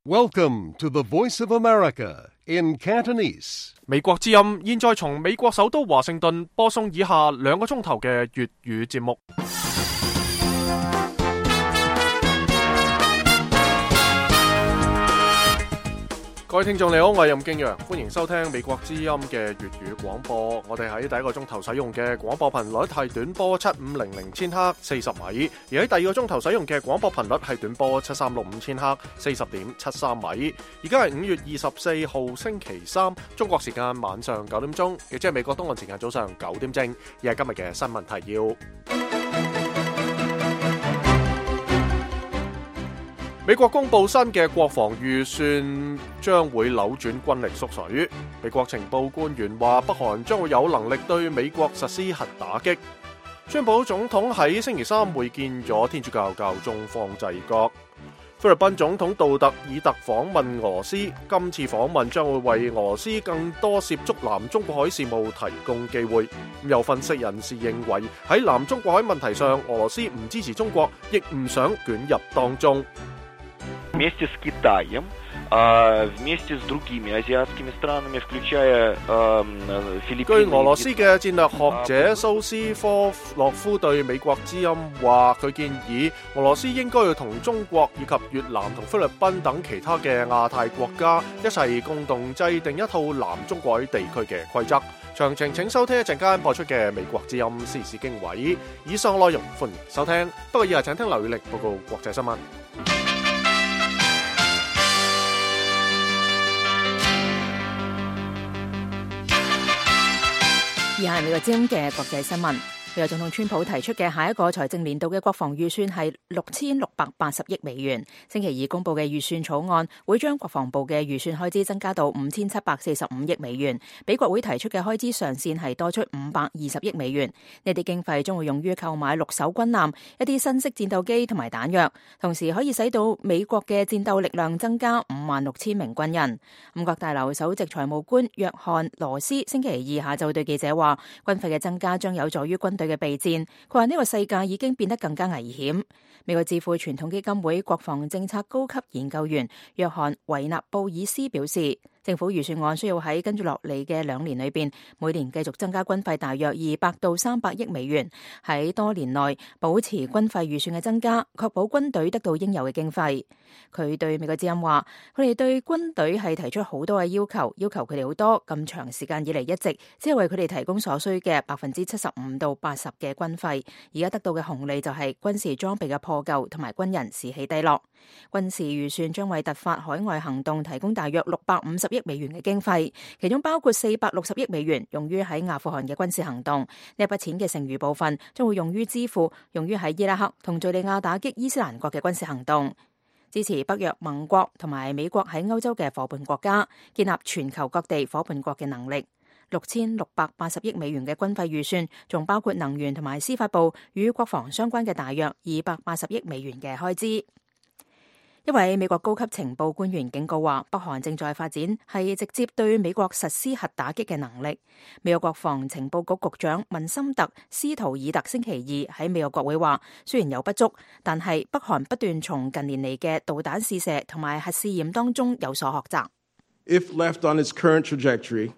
Welcome to the Voice of America in Cantonese. 美國之音現在從美國首都華盛頓播送以下2個鐘頭嘅粵語節目。各位聽眾你好，我係任敬陽，歡迎收聽美國之音嘅粵語廣播。我哋喺第一個鐘頭使用嘅廣播頻率係短波7500千赫40米，而喺第二個鐘頭使用嘅廣播頻率係短波7365千赫40.73米。而家係5月24號星期三，中國時間晚上9點鐘，亦即係美國東岸時間早上9點正。而係今日嘅新聞提要。美國公布新嘅國防預算，將會扭轉軍力縮水。美國情報官員話，北韓將會有能力對美國實施核打擊。川普總統喺星期三會見咗天主教教宗方濟各。菲律賓總統杜特爾特訪問俄羅斯，今次訪問將會為俄羅斯更多涉足南中國海事務提供機會。有分析人士認為，喺南中國海問題上，俄羅斯唔支持中國，亦唔想捲入當中。Вместе с Китаем, вместе с другими азиатскими странами, включая Филиппины。據俄羅斯嘅戰略學者蘇斯科洛夫對美國之音話，佢建議俄羅斯應該要同中國以及越南同菲律賓等其他嘅亞太國家一齊共同制定一套南中國海地區嘅規則。詳情請收聽一陣間播出嘅美國之音時事經緯。以上內容歡迎收聽，不過以下請聽劉宇力報告國際新聞。以下係美國之音嘅國際新聞。美國總統川普提出嘅下一個財政年度嘅國防預算係6680億美元。星期二公布嘅預算草案會將國防部嘅預算開支增加到5745億美元，比國會提出嘅開支上限係多出520億美元。呢啲經費將會用於購買6艘軍艦、一啲新式戰鬥機同埋彈藥，同時可以使到美國嘅戰鬥力量增加56000名軍人。五角大樓首席財務官約翰羅斯星期二下晝對記者話，軍費嘅增加將有助於軍隊嘅備戰。佢話呢個世界已經變得更加危險。美國智庫傳統基金會國防政策高級研究員約翰維納布爾斯表示，政府預算案需要喺跟住落嚟嘅2年裏邊，每年繼續增加軍費大約200到300億美元，喺多年內保持軍費預算嘅增加，確保軍隊得到應有嘅經費。佢對美國之音話，佢哋對軍隊係提出好多嘅要求佢哋好多，咁長時間以嚟一直只係為佢哋提供所需嘅75%到80%嘅軍費，而家得到嘅紅利就係軍事裝備嘅破舊同埋軍人士氣低落。軍事預算將為突發海外行動提供大約650億美元嘅經費，其中包括460億美元用於喺阿富汗嘅軍事行動。呢一筆錢嘅剩餘部分將會用於支付用於喺伊拉克同敘利亞打擊伊斯蘭國嘅軍事行動，支持北約盟國同埋美國喺歐洲嘅夥伴國家，建立全球各地夥伴國嘅能力。6680億美元嘅軍費預算仲包括能源同埋司法部與國防相關嘅大約280億美元嘅開支。一位美國高級情報官員警告話，北韓正在發展係直接對美國實施核打擊嘅能力。美國國防情報局局長文森特斯圖爾特星期二喺美國國會話，雖然有不足，但係北韓不斷從近年嚟嘅導彈試射同埋核試驗當中有所學習。If left on its current trajectory,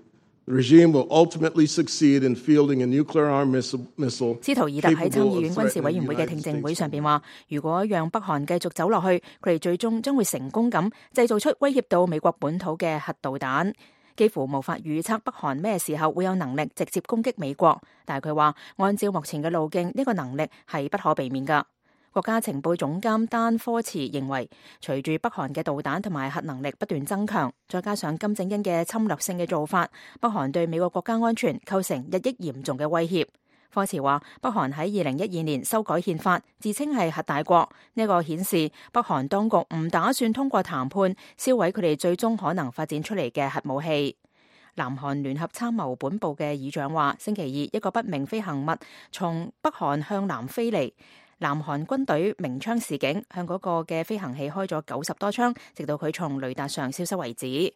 the regime will ultimately succeed in fielding a nuclear armed missile. 斯圖爾特喺參議院軍事委員會嘅聽證會上邊話，如果讓北韓繼續走落去，佢哋最終將會成功咁製造出威脅到美國本土嘅核導彈。幾乎無法預測北韓咩時候會有能力直接攻擊美國，但係佢話按照目前嘅路徑，呢個能力係不可避免㗎。國家情報總監丹科茨認為，隨住北韓嘅導彈同埋核能力不斷增強，再加上金正恩嘅侵略性嘅做法，北韓對美國國家安全構成日益嚴重嘅威脅。科茨話，北韓喺2012年修改憲法，自稱係核大國，呢個顯示北韓當局唔打算通過談判銷毀佢哋最終可能發展出嚟嘅核武器。南韓聯合參謀本部嘅議長話，星期二一個不明飛行物從北韓向南飛嚟。南韓軍隊鳴槍示警，向嗰個嘅飛行器開咗90多槍，直到佢從雷達上消失為止。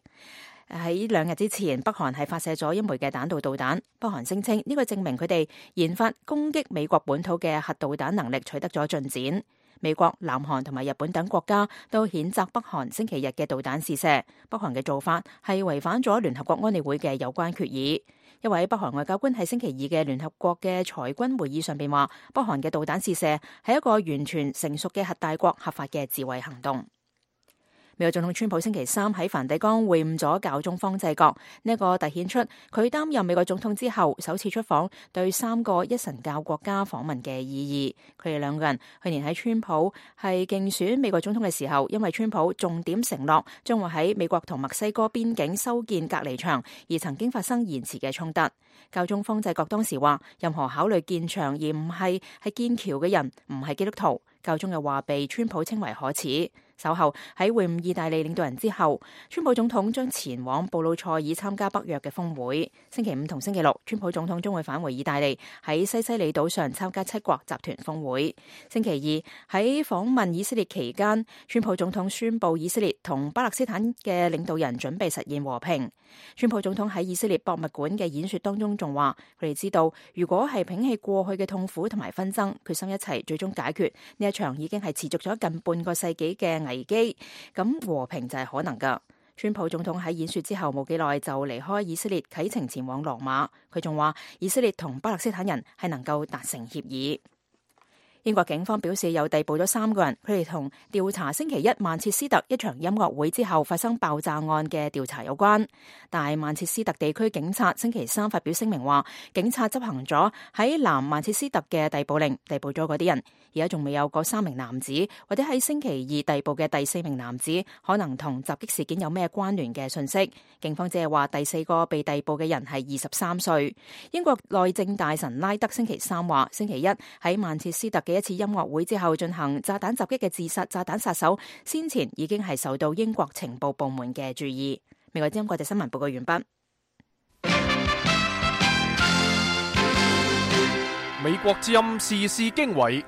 喺2日之前，北韓係發射咗1枚嘅彈道導彈。北韓聲稱呢個證明佢哋研發攻擊美國本土嘅核導彈能力取得咗進展。美國、南韓同埋日本等國家都譴責北韓星期日嘅導彈試射。北韓嘅做法係違反咗聯合國安理會嘅有關決議。一位北韓外交官喺星期二嘅聯合國嘅裁軍會議上邊話，北韓嘅導彈試射係一個完全成熟嘅核大國合法嘅自衛行動。美國總統川普星期三喺梵蒂岡會晤咗教宗方濟各，呢一個凸顯出佢擔任美國總統之後首次出訪對3個一神教國家訪問嘅意義。佢哋兩個人去年喺川普係競選美國總統嘅時候，因為川普重點承諾將會喺美國同墨西哥邊境修建隔離牆，而曾經發生延遲嘅衝突。教宗方濟各當時話，任何考慮建牆而唔係建橋嘅人唔係基督徒。教宗嘅話被川普稱為可恥。稍後喺會晤意大利領導人之後，川普總統將前往布魯塞爾參加北約嘅峰會。星期五同星期六，川普總統將會返回意大利，喺西西里島上參加7國集團峰會。星期二喺訪問以色列期間，川普總統宣布以色列同巴勒斯坦嘅領導人準備實現和平。川普總統喺以色列博物館嘅演說當中仲話，佢哋知道如果係摒棄過去嘅痛苦同埋紛爭，決心一齊最終解決呢一場已經係持續咗近半個世紀嘅危機，咁和平就係可能噶。川普總統喺演說之後冇幾耐就離開以色列，啟程前往羅馬。佢仲話以色列同巴勒斯坦人係能夠達成協議。英國警方表示有逮捕咗3個人，佢哋同調查星期一曼徹斯特一場音樂會之後發生爆炸案嘅調查有關。但係曼徹斯特地區警察星期三發表聲明話，警察執行咗喺南曼徹斯特嘅逮捕令，逮捕咗嗰啲人。而家仲未有嗰3名男子或者喺星期二逮捕嘅第4名男子可能同襲擊事件有咩關聯嘅信息。警方只係話第4個被逮捕嘅人係23歲。英國內政大臣拉德星期三話，星期一喺曼徹斯特嘅一次音樂會之後進行炸彈襲擊嘅自殺炸彈殺手，先前已經係受到英國情報部門嘅注意。美國之音國際新聞報告完畢。美國之音時事經緯，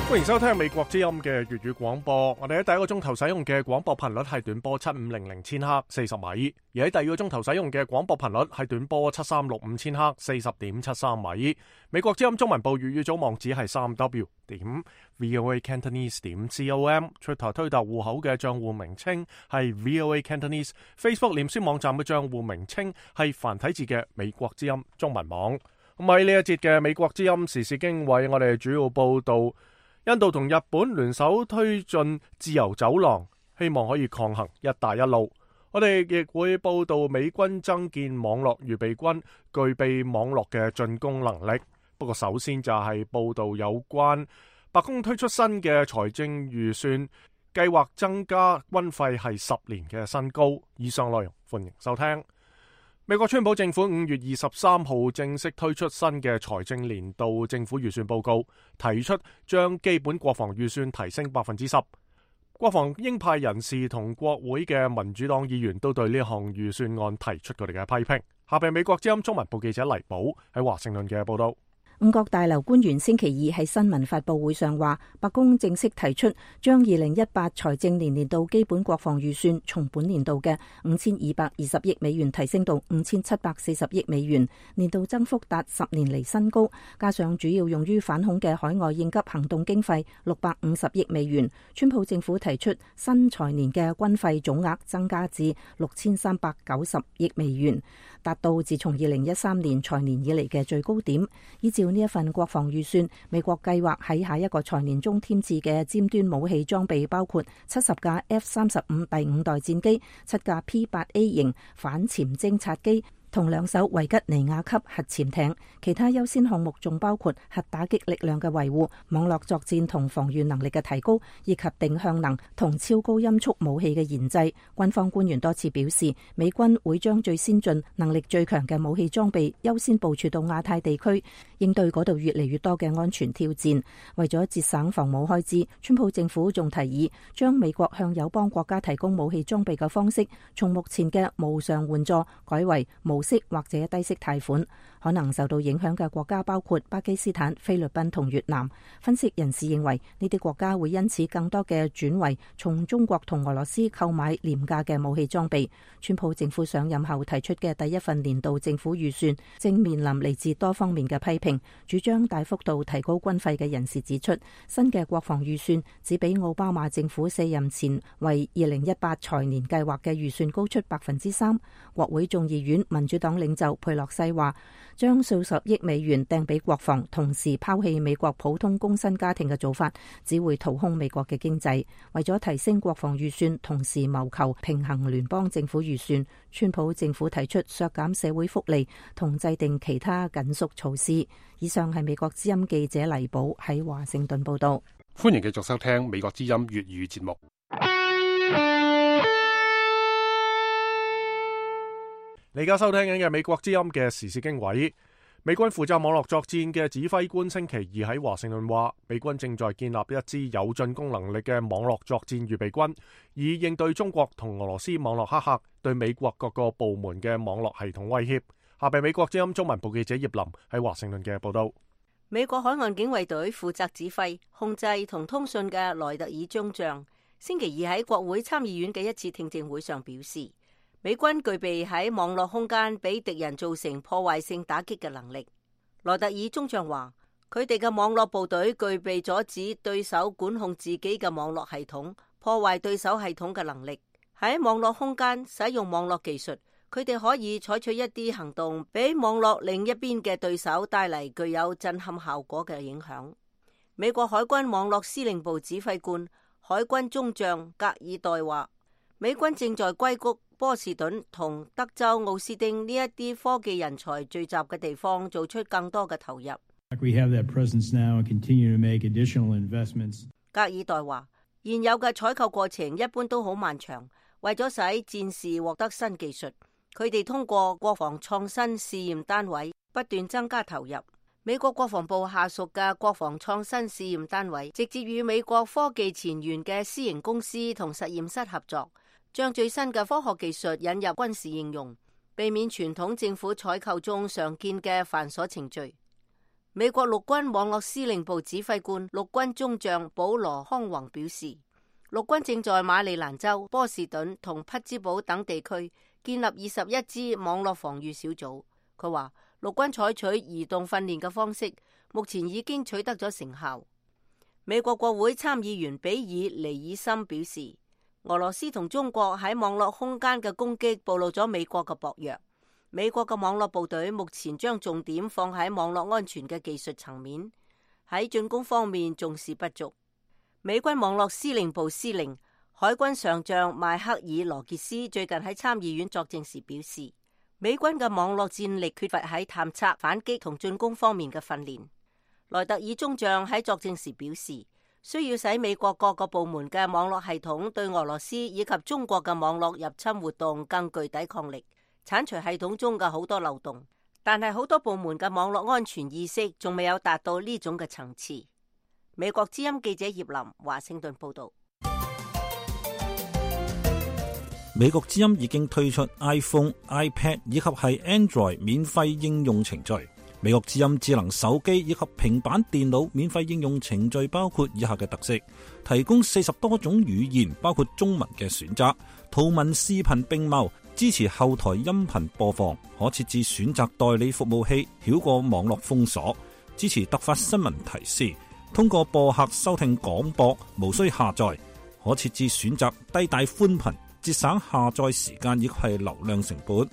歡迎收聽美國之音嘅粵語廣播。我哋喺第一個鐘頭使用嘅廣播頻率係短波7500千赫40米，而喺第二個鐘頭使用嘅廣播頻率係短波7365千赫40.73米。美國之音中文部粵語組網址係3w.voacantonese.com， Twitter 推特戶口嘅賬戶名稱係 VOA Cantonese， Facebook 臉書網站嘅賬戶名稱係繁體字嘅美國之音中文網。咁喺呢一節嘅美國之音時事經緯，我哋主要報道印度同日本聯手推進自由走廊，希望可以抗衡一帶一路。我哋亦會報道美軍增建網絡預備軍，具備網絡嘅進攻能力。不過首先就係報道有關白宮推出新嘅財政預算，計劃增加軍費係10年嘅新高。以上內容歡迎收聽。美國川普政府5月23號正式推出新嘅財政年度政府預算報告，提出將基本國防預算提升 10%。國防鷹派人士同國會嘅民主黨議員都對呢項預算案提出佢哋嘅批評。下邊美國之音中文部記者黎寶喺華盛頓嘅報道。五角大樓官員星期二喺新聞發佈會上話，白宮正式提出將2018財政年度基本國防預算從本年度嘅5220億美元提升到5740億美元，年度增幅達10年嚟新高。加上主要用於反恐嘅海外應急行動經費650億美元，川普政府提出新財年嘅軍費總額增加至6390億美元，達到自從2013年財年以嚟嘅最高點。依照呢一份國防預算，美國計劃喺下一個財年中添置嘅尖端武器裝備包括70架 F-35 第5代戰機、7架 P-8A 型反潛偵察機同2艘維吉尼亞級核潛艇。其他優先項目仲包括核打擊力量嘅維護、網絡作戰同防禦能力嘅提高，以及定向能同超高音速武器嘅研製。軍方官員多次表示，美軍會將最先進、能力最強嘅武器裝備優先部署到亞太地區，應對嗰度越嚟越多嘅安全挑戰。為咗節省防務開支，川普政府仲提議將美國向友邦國家提供武器裝備嘅方式，從目前嘅無償援助改為無息或者低息貸款。可能受到影響嘅國家包括巴基斯坦、菲律賓同越南。分析人士認為，呢啲國家會因此更多嘅轉為從中國同俄羅斯購買廉價嘅武器裝備。川普政府上任後提出嘅第一份年度政府預算，正面臨嚟自多方面嘅批評。庭主張大幅度提高軍費嘅人士指出，新嘅國防預算只比奧巴馬政府卸任前為2018財年計劃嘅預算高出3%。國會眾議院民主黨領袖佩洛西話，將數十億美元掟俾國防，同時拋棄美國普通工薪家庭嘅做法，只會掏空美國嘅經濟。為咗提升國防預算，同時謀求平衡聯邦政府預算，川普政府提出削減社會福利同制定其他緊縮措施。以上係美國之音記者黎寶喺華盛頓報道。歡迎繼續收聽美國之音粵語節目。你而家收聽緊嘅美國之音嘅時事經緯，美軍負責網絡作戰嘅指揮官星期二喺華盛頓話，美軍正在建立一支有進攻能力嘅網絡作戰預備軍，以應對中國同俄羅斯網絡黑客對美國各個部門嘅網絡系統威脅。下邊美國之音中文部記者葉林喺華盛頓嘅報道。美國海岸警衛隊負責指揮、控制同通訊嘅萊特爾中將，星期二喺國會參議院嘅一次聽證會上表示，美軍具備喺網絡空間俾敵人造成破壞性打擊嘅能力。萊特爾中將話，佢哋嘅網絡部隊具備阻止對手管控自己嘅網絡系統、破壞對手系統嘅能力。喺網絡空間使用網絡技術，佢哋可以採取一啲行動，俾網絡另一邊嘅對手帶嚟具有震撼效果嘅影響。美國海軍網絡司令部指揮官、海軍中將格爾代話，美軍正在硅谷、波士頓同德州奧斯汀呢一啲科技人才聚集嘅地方做出更多嘅投入。格爾代話，現有嘅採購過程一般都好漫長，為咗使戰士獲得新技術，佢哋通過國防創新試驗單位不斷增加投入。美國國防部下屬嘅國防創新試驗單位直接與美國科技前沿嘅私營公司同實驗室合作，將最新嘅科學技術引入軍事應用，避免傳統政府採購中常見嘅繁瑣程序。美國陸軍網絡司令部指揮官陸軍中將保羅康宏表示，陸軍正在馬里蘭州、波士頓同匹茲堡等地區建立21支網絡防禦小組。佢話，陸軍採取移動訓練嘅方式，目前已經取得咗成效。美國國會參議員比爾尼爾森表示，俄羅斯同中國喺網絡空間嘅攻擊暴露咗美國嘅薄弱。美國嘅網絡部隊目前將重點放喺網絡安全嘅技術層面，喺進攻方面重視不足。美軍網絡司令部司令、海軍上將邁克爾羅傑斯最近喺參議院作證時表示，美軍嘅網絡戰力缺乏喺探測、反擊同進攻方面嘅訓練。萊特爾中將喺作證時表示，需要使美國各個部門嘅網絡系統對俄羅斯以及中國嘅網絡入侵活動更具抵抗力，鏟除系統中嘅好多漏洞。但係好多部門嘅網絡安全意識仲未有達到呢種嘅層次。美國之音記者葉林華盛頓報道。美國之音已經推出 iPhone、iPad 以及係 Android 免費應用程序。美國之音智能手機以及平板電腦免費應用程序包括以下嘅特色：提供40多種語言，包括中文嘅選擇，圖文視頻並茂，支持後台音頻播放，可設置選擇代理服務器，繞過網絡封鎖，支持突發新聞提示，通過播客收聽廣播，無需下載，可設置選擇低帶寬頻，節省下載時間以及係流量成本。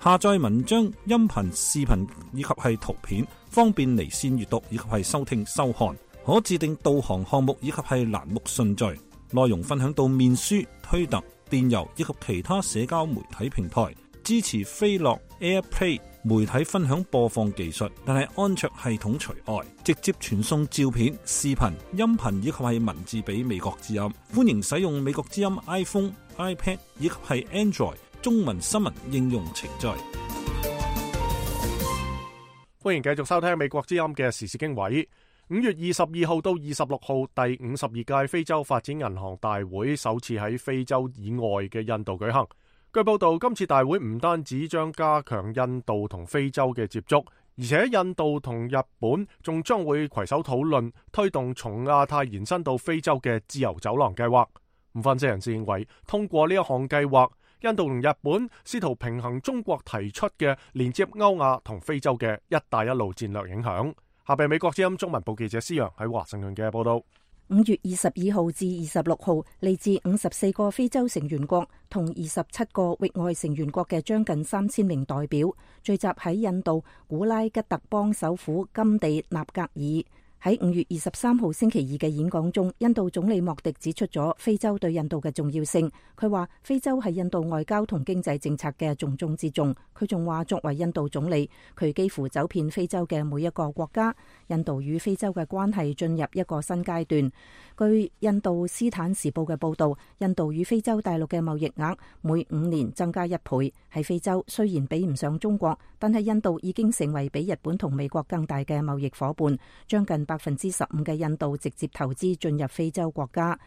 下載文章、音頻、視頻以及係圖片，方便離線閱讀以及係收聽收看。可自定導航項目以及係欄目順序。內容分享到面書、推特、電郵以及其他社交媒體平台。支持飛樂 AirPlay 媒體分享播放技術，但係安卓系統除外。直接傳送照片、視頻、音頻以及係文字俾美國之音。歡迎使用美國之音 iPhone、iPad 以及係 Android中文新聞應用程序。歡迎繼續收聽美國之音嘅時事經緯。5月22號到26號，第52屆非洲發展銀行大會首次喺非洲以外嘅印度舉行。據報道，今次大會唔單止將加強印度同非洲嘅接觸，而且印度同日本仲將會攜手討論推動從亞太延伸到非洲嘅自由走廊計劃。分析人士認為，通過呢一項計劃，印度同日本試圖平衡中國提出嘅連接歐亞同非洲嘅一帶一路戰略影響。下邊美國之音中文部記者施陽喺華盛頓嘅報道。5月22號至26號，嚟自54個非洲成員國同27個域外成員國嘅將近3000名代表聚集喺印度古拉吉特邦首府金地納格爾。喺5月23號星期二嘅演講中，印度總理莫迪指出咗非洲對印度嘅重要性。佢話非洲係印度外交同經濟政策嘅重中之重。佢仲話作為印度總理，佢幾乎走遍非洲嘅每一個國家。印度與非洲嘅關係進入一個新階段。據印度斯坦時報嘅報導，印度與非洲大陸嘅貿易額每5年增加1倍。喺非洲雖然比唔上中國，但係印度已經成為比日本同美國更大嘅貿易夥伴，將近15%嘅印度直接投資進入非洲國家。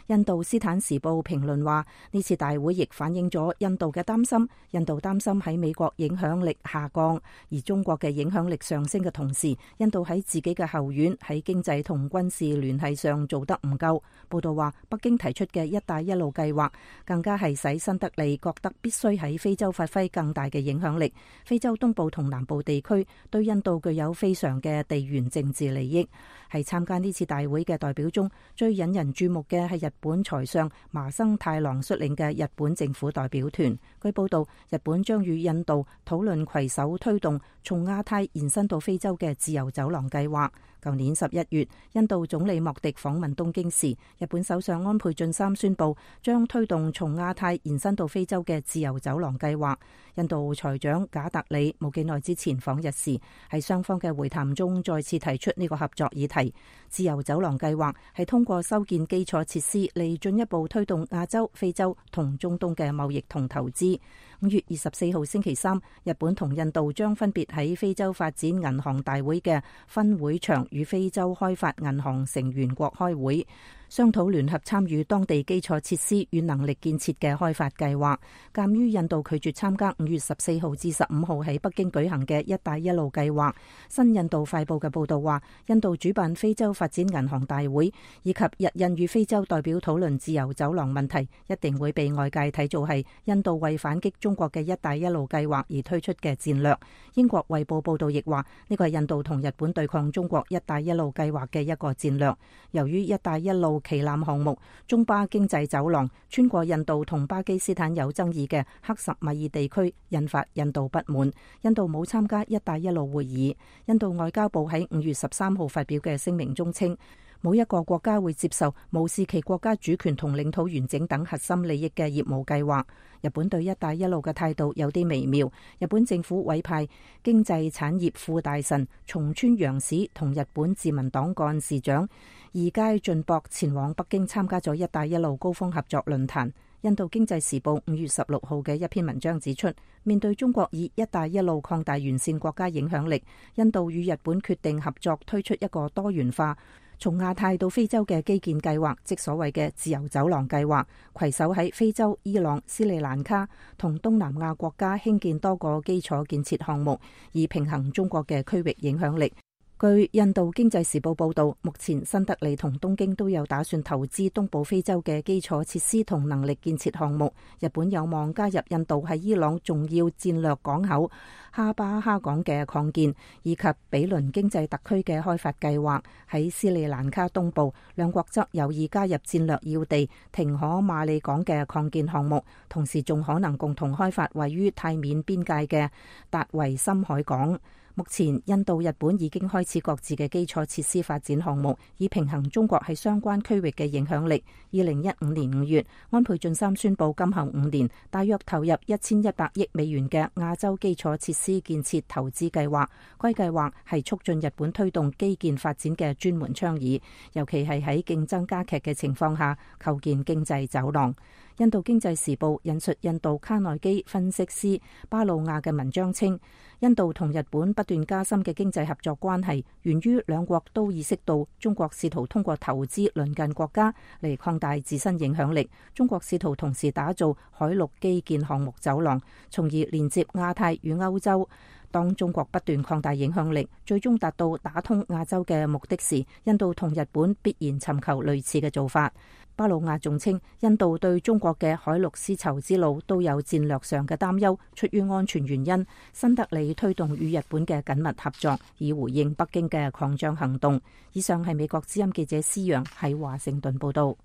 印度斯坦時報評論話，呢次大會亦反映咗印度嘅擔心。印度擔心喺美國影響力下降，而中國嘅影響力上升嘅同時，印度喺自己嘅後院喺經濟同軍事聯繫上做得唔夠。報道話，北京提出嘅一帶一路計劃更加係使新德里覺得必須喺非洲發揮更大嘅影響力。非洲東部同南部地區對印度具有非常嘅地緣政治利益。係參加呢次大會嘅代表中，最引人注目嘅係日本財相麻生太郎率領嘅日本政府代表團。據報道，日本將與印度討論攜手推動從亞太延伸到非洲嘅自由走廊計劃。舊年11月，印度總理莫迪訪問東京時，日本首相安倍晉三宣布將推動從亞太延伸到非洲嘅自由走廊計劃。印度財長賈特里冇幾耐之前訪日時，喺雙方嘅會談中再次提出呢個合作議題。自由走廊計劃係通過修建基礎設施嚟進一步推動亞洲、非洲同中東嘅貿易同投資。5月24號星期三，日本同印度將分別喺非洲發展銀行大會嘅分會場與非洲開發銀行成員國開會，商討聯合參與當地基礎設施與能力建設嘅開發計劃。鑑於印度拒絕參加5月14號至15號喺北京舉行嘅一帶一路計劃，新印度快報嘅報道話，印度主辦非洲發展銀行大會以及日印與非洲代表討論自由走廊問題，一定會被外界睇做係印度為反擊中國嘅一帶一路計劃而推出嘅戰略。英國衛報報道亦話，呢個係印度同日本對抗中國一帶一路計劃嘅一個戰略。由於一帶一路旗艦項目中巴經濟走廊穿過印度同巴基斯坦有爭議嘅克什米爾地區，引發印度不滿。印度冇參加一帶一路會議。印度外交部喺5月13號發表嘅聲明中稱，冇一個國家會接受無視其國家主權同領土完整等核心利益嘅業務計劃。日本對一帶一路嘅態度有啲微妙。日本政府委派經濟產業副大臣松村洋史同日本自民黨幹事長二階俊博前往北京參加咗一帶一路高峰合作論壇。印度經濟時報5月16號嘅一篇文章指出，面對中國以一帶一路擴大完善國家影響力，印度與日本決定合作推出一個多元化從亞太到非洲嘅基建計劃，即所謂嘅自由走廊計劃，攜手喺非洲、伊朗、斯里蘭卡同東南亞國家興建多個基礎建設項目，以平衡中國嘅區域影響力。據印度經濟時報報道，目前新德里同東京都有打算投資東部非洲嘅基礎設施同能力建設項目。日本有望加入印度喺伊朗重要戰略港口哈巴哈港嘅擴建，以及比鄰經濟特區嘅開發計劃。喺斯里蘭卡東部，兩國則有意加入戰略要地廷可馬里港嘅擴建項目，同時仲可能共同開發位於泰緬邊界嘅達維深海港。目前，印度、日本已經開始各自嘅基礎設施發展項目，以平衡中國喺相關區域嘅影響力。2015年5月，安倍晉三宣布今後5年大約投入1100億美元嘅亞洲基礎設施建設投資計劃。該計劃係促進日本推動基建發展嘅專門倡議，尤其係喺競爭加劇嘅情況下構建經濟走廊。印度經濟時報引述印度卡內基分析師巴魯亞嘅文章稱，印度同日本不斷加深嘅經濟合作關係，源於兩國都意識到中國試圖通過投資鄰近國家嚟擴大自身影響力。中國試圖同時打造海陸基建項目走廊，從而連接亞太與歐洲。當中國不斷擴大影響力，最終達到打通亞洲嘅目的時，印度同日本必然尋求類似嘅做法。巴魯亞仲稱，印度對中國嘅海陸絲綢之路都有戰略上嘅擔憂，出於安全原因，新德里推動與日本嘅緊密合作，以回應北京嘅擴張行動。以上係美國之音記者施陽喺華盛頓報道。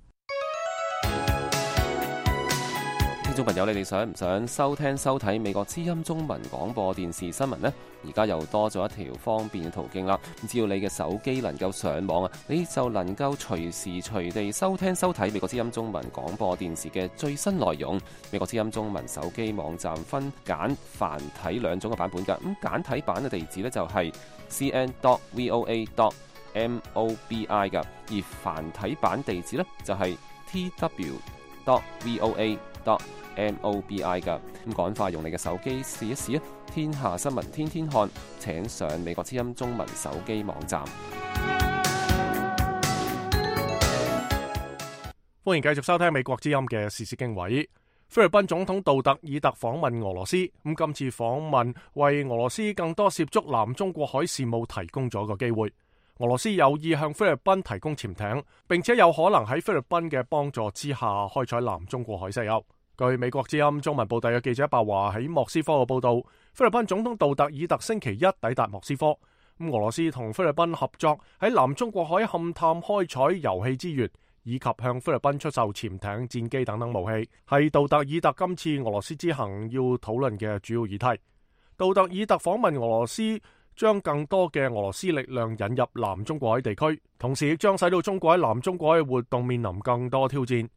聽眾朋友，你哋想唔想收聽收睇美國之音中文廣播電視新聞呢？而家又多咗一條方便嘅途徑啦！只要你嘅手機能夠上網啊，你就能夠隨時隨地收聽收睇美國之音中文廣播電視嘅最新內容。美國之音中文手機網站分簡繁體兩種嘅版本㗎。咁簡體版嘅地址呢，就係 cn.voa.mobi 㗎，而繁體版地址呢，就係 tw.voa.mobi 噶。咁趕快用你嘅手機試一試啊！天下新聞天天看，請上美國之音中文手機網站。歡迎繼續收聽美國之音嘅時事經緯。菲律賓總統杜特爾特訪問俄羅斯，咁今次訪問為俄羅斯更多涉足南中國海事務提供咗個機會。俄羅斯有意向菲律賓提供潛艇，並且有可能喺菲律賓嘅幫助之下開採南中國海石油。據美國之音中文部第嘅記者白華喺莫斯科嘅報道，菲律賓總統杜特爾特星期一抵達莫斯科。俄羅斯同菲律賓合作喺南中國海勘探開採油氣資源，以及向菲律賓出售潛艇、戰機等等武器，係杜特爾特今次俄羅斯之行要討論嘅主要議題。杜特爾特訪問俄羅斯，將更多嘅俄羅斯力量引入南中國海地區，同時亦將使到中國喺南中國海嘅活動面臨更多挑戰。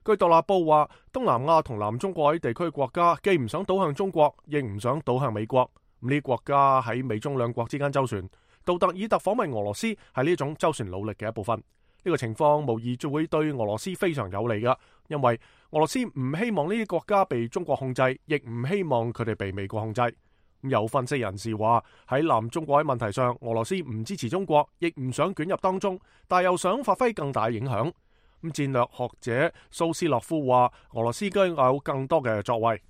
據獨立報話，東南亞同南中國海地區國家既唔想倒向中國，亦唔想倒向美國。呢啲國家喺美中兩國之間周旋。杜特爾特訪問俄羅斯係呢種周旋努力嘅一部分。呢個情況無疑就會對俄羅斯非常有利㗎，因為俄羅斯唔希望呢啲國家被中國控制，亦唔希望佢哋被美國控制。有分析人士話，喺南中國海問題上，俄羅斯唔支持中國，亦唔想捲入當中，但又想發揮更大影響。戰略學者蘇斯洛夫話，俄羅斯應該有更多嘅作為。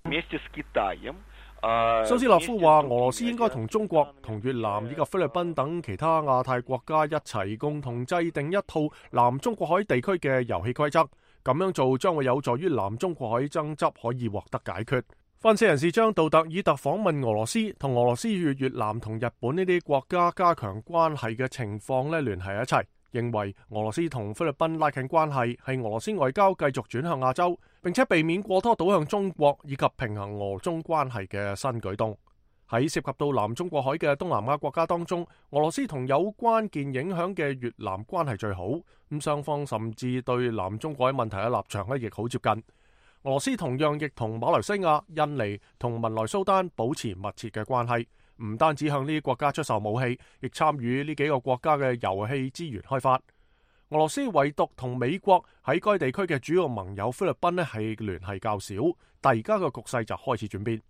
蘇斯洛夫話，俄羅斯應該同中國、同越南以及菲律賓等其他亞太國家一齊共同制定一套南中國海地區嘅遊戲規則，咁樣做將會有助於南中國海爭執可以獲得解決。分析人士將杜特爾特訪問俄羅斯同俄羅斯與越南同日本呢啲國家加強關係嘅情況聯繫一齊，認為俄羅斯同菲律賓拉近關係係俄羅斯外交繼續轉向亞洲，並且避免過多倒向中國以及平衡俄中關係嘅新舉動。喺涉及到南中國海嘅東南亞國家當中，俄羅斯同有關鍵影響嘅越南關係最好，咁雙方甚至對南中國海問題嘅立場亦好接近。俄羅斯同樣亦同馬來西亞、印尼同文萊蘇丹保持密切嘅關係，唔單止向呢啲國家出售武器，亦參與呢幾個國家嘅油氣資源開發。俄羅斯唯獨同美國喺該地區嘅主要盟友菲律賓係聯繫較少，但而家嘅局勢就開始轉變。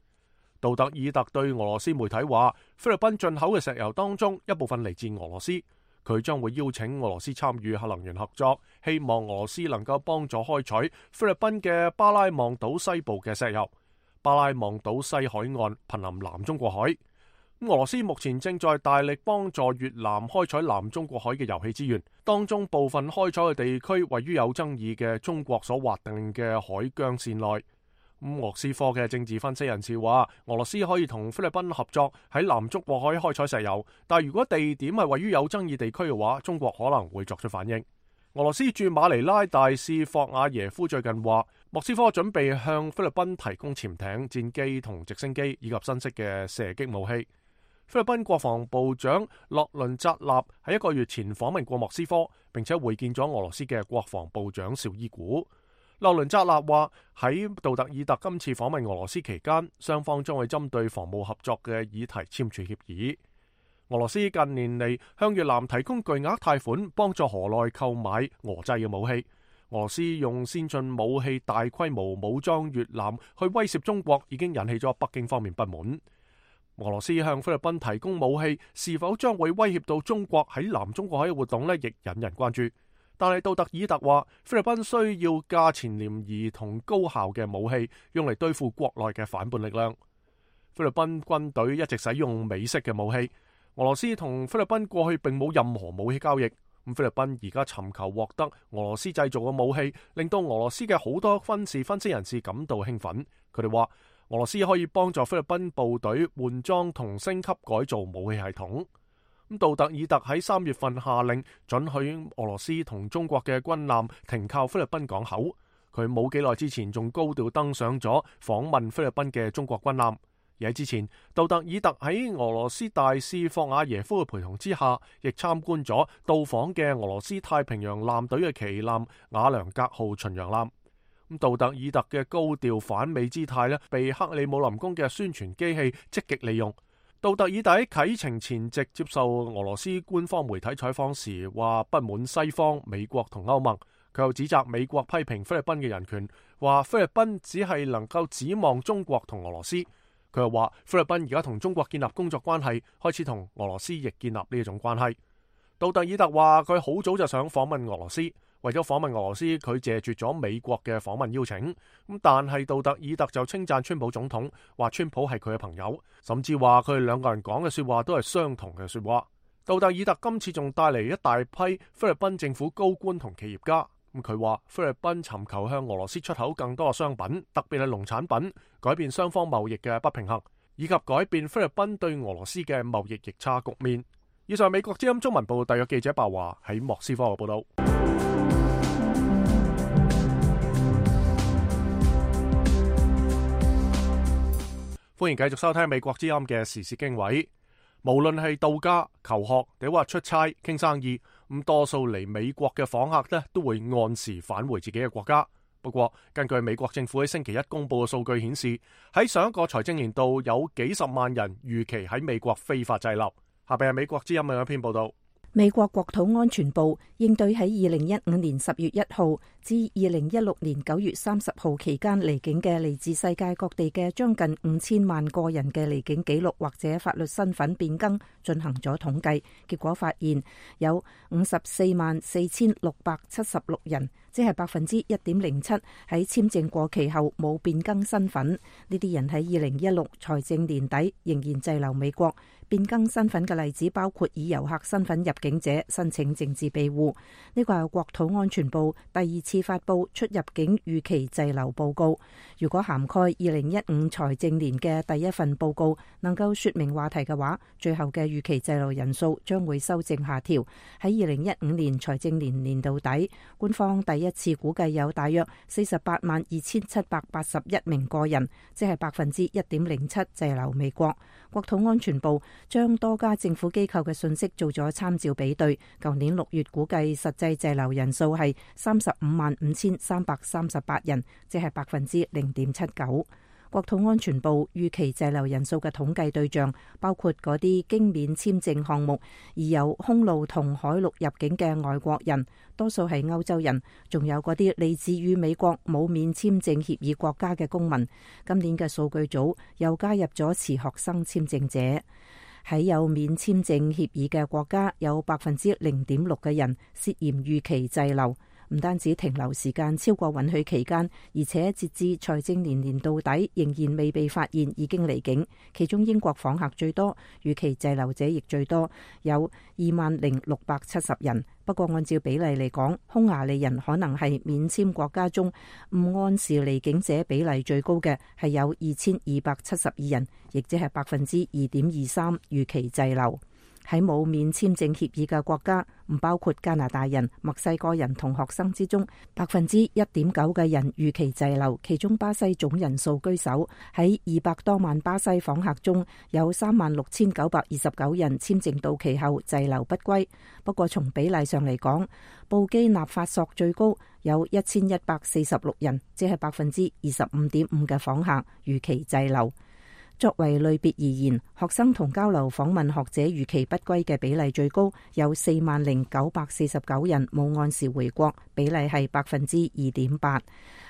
杜特爾特對俄羅斯媒體話，菲律賓進口嘅石油當中一部分嚟自俄羅斯，佢將會邀請俄羅斯參與核能源合作，希望俄羅斯能夠幫助開採菲律賓嘅巴拉望島西部嘅石油。巴拉望島西海岸瀕臨南中國海。俄羅斯目前正在大力幫助越南開採南中國海嘅油氣資源，當中部分開採嘅地區位於有爭議嘅中國所劃定嘅海疆線內。莫斯科嘅政治分析人士話，俄羅斯可以同菲律賓合作喺南中國海開採石油，但如果地點係位於有爭議地區嘅話，中國可能會作出反應。俄羅斯駐馬尼拉大使霍瓦耶夫最近話，莫斯科準備向菲律賓提供潛艇、戰機同直升機以及新式嘅射擊武器。菲律賓國防部長洛倫扎納喺1個月前訪問過莫斯科，並且會見咗俄羅斯嘅國防部長紹伊古。洛倫扎納話，喺杜特爾特今次訪問俄羅斯期間，雙方將會針對防務合作嘅議題簽署協議。俄羅斯近年嚟向越南提供巨額貸款，幫助河內購買俄製嘅武器。俄羅斯用先進武器大規模武裝越南去威脅中國，已經引起咗北京方面不滿。俄羅斯向菲律賓提供武器，是否將會威脅到中國喺南中國海嘅活動呢？亦引人關注。但係杜特爾特話，菲律賓需要價錢廉宜同高效嘅武器，用嚟對付國內嘅反叛力量。菲律賓軍隊一直使用美式嘅武器。俄羅斯同菲律賓過去並冇任何武器交易，菲律賓而家尋求獲得俄羅斯製造嘅武器，令到俄羅斯嘅好多軍事分析人士感到興奮。佢哋話俄羅斯可以幫助菲律賓部隊換裝同升級改造武器系統。杜特爾特喺3月份下令准許俄羅斯同中國嘅軍艦停靠菲律賓港口。佢冇幾耐之前仲高調登上咗訪問菲律賓嘅中國軍艦。而喺之前，杜特爾特喺俄羅斯大使霍瓦耶夫嘅陪同之下，亦參觀咗到訪嘅俄羅斯太平洋艦隊嘅旗艦瓦良格號巡洋艦。杜特爾特嘅高調反美姿態咧，被克里姆林宮嘅宣傳機器積極利用。杜特爾特喺啟程前夕接受俄羅斯官方媒體採訪時，話不滿西方、美國同歐盟。佢又指責美國批評菲律賓嘅人權，話菲律賓只係能夠指望中國同俄羅斯。佢又話菲律賓而家同中國建立工作關係，開始同俄羅斯亦建立呢一種關係。杜特爾特話佢好早就想訪問俄羅斯，為咗訪問俄羅斯，佢謝絕咗美國嘅訪問邀請。但係杜特爾特就稱讚川普總統，話川普係佢嘅朋友，甚至話佢哋兩個人講嘅說話都係相同嘅說話。杜特爾特今次仲帶嚟一大批菲律賓政府高官同企業家。佢話菲律賓尋求向俄羅斯出口更多嘅商品，特別係農產品，改變雙方貿易嘅不平衡，以及改變菲律賓對俄羅斯嘅貿易逆差局面。以上美國之音中文部特約記者白華喺莫斯科嘅報道。歡迎繼續收聽美國之音嘅時事經緯。無論係度假、求學，定話出差、傾生意，多數嚟美國嘅訪客呢都會按時返回自己嘅國家。不過，根據美國政府喺星期一公布嘅數據顯示，喺上一個財政年度有幾十萬人預期喺美國非法滯留。下邊係美國之音嘅一篇報道。美國國土安全部應對喺2015年10月1號至2016年9月30號期間離境嘅嚟自世界各地嘅將近5000萬個人嘅離境記錄或者法律身份變更進行咗統計，結果發現有544676人，即係1.07%喺簽證過期後冇變更身份。呢啲人喺2016財政年底仍然滯留美國。變更身份嘅例子包括以遊客身份入境者申請政治庇護。呢個係國土安全部第2次發布出入境預期滯留報告。如果涵蓋2015財政年嘅第一份報告能夠說明話題嘅話，最後嘅預期滯留人數將會修正下調。喺2015年財政年年度底，官方第一次估計有大約482781名個人，即係1.07%滯留美國。國土安全部將多家政府機構嘅信息做咗參照比對，舊年6月估計實際滯留人數係355338人，即係0.79%。國土安全部預期滯留人數嘅統計對象包括嗰啲經免簽證項目而有空路同海陸入境嘅外國人，多數係歐洲人，仲有嗰啲嚟自於美國冇免簽證協議國家嘅公民。今年嘅數據組又加入咗持學生簽證者。喺有免簽證協議嘅國家，有0.6%嘅人涉嫌預期滯留。唔單止停留時間超過允許期間，而且截至財政年年度底仍然未被發現已經離境。其中英國訪客最多，預期滯留者亦最多，有20670人。不過按照比例嚟講，匈牙利人可能係免簽國家中唔按時離境者比例最高嘅，係有2272人，亦即係2.23%預期滯留。喺冇免簽證協議嘅國家，唔包括加拿大人、墨西哥人同學生之中，1.9%嘅人預期滯留，其中巴西總人數居首，喺200多萬巴西訪客中，有36929人簽證到期後滯留不歸。不過從比例上嚟講，布基納法索最高，有1146人，即係25.5%嘅訪客預期滯留。作為類別而言，學生同交流訪問學者預期不歸嘅比例最高，有40949人冇按時回國，比例係2.8%。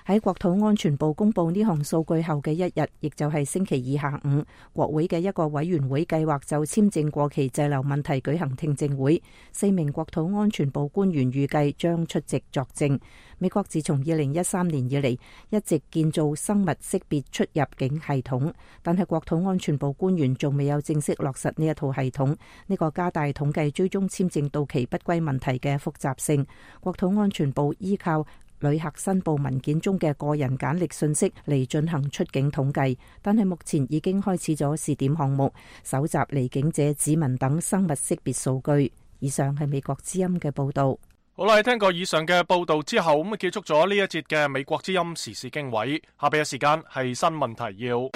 喺國土安全部公布呢項數據後嘅一日，亦就係星期二下午，國會嘅一個委員會計劃就簽證過期滯留問題舉行聽證會，4名國土安全部官員預計將出席作證。美國自從2013年以嚟一直建造生物識別出入境系統，但係國土安全部官員仲未有正式落實呢一套系統，呢個加大統計追蹤簽證到期不歸問題嘅複雜性。國土安全部依靠旅客申報文件中嘅個人簡歷信息嚟進行出境統計，但係目前已經開始咗試點項目，搜集離境者指紋等生物識別數據。以上係美國之音嘅報道。好啦，聽過以上嘅報道之後，咁結束咗呢一節嘅美國之音時事經緯。下邊嘅時間係新聞提要。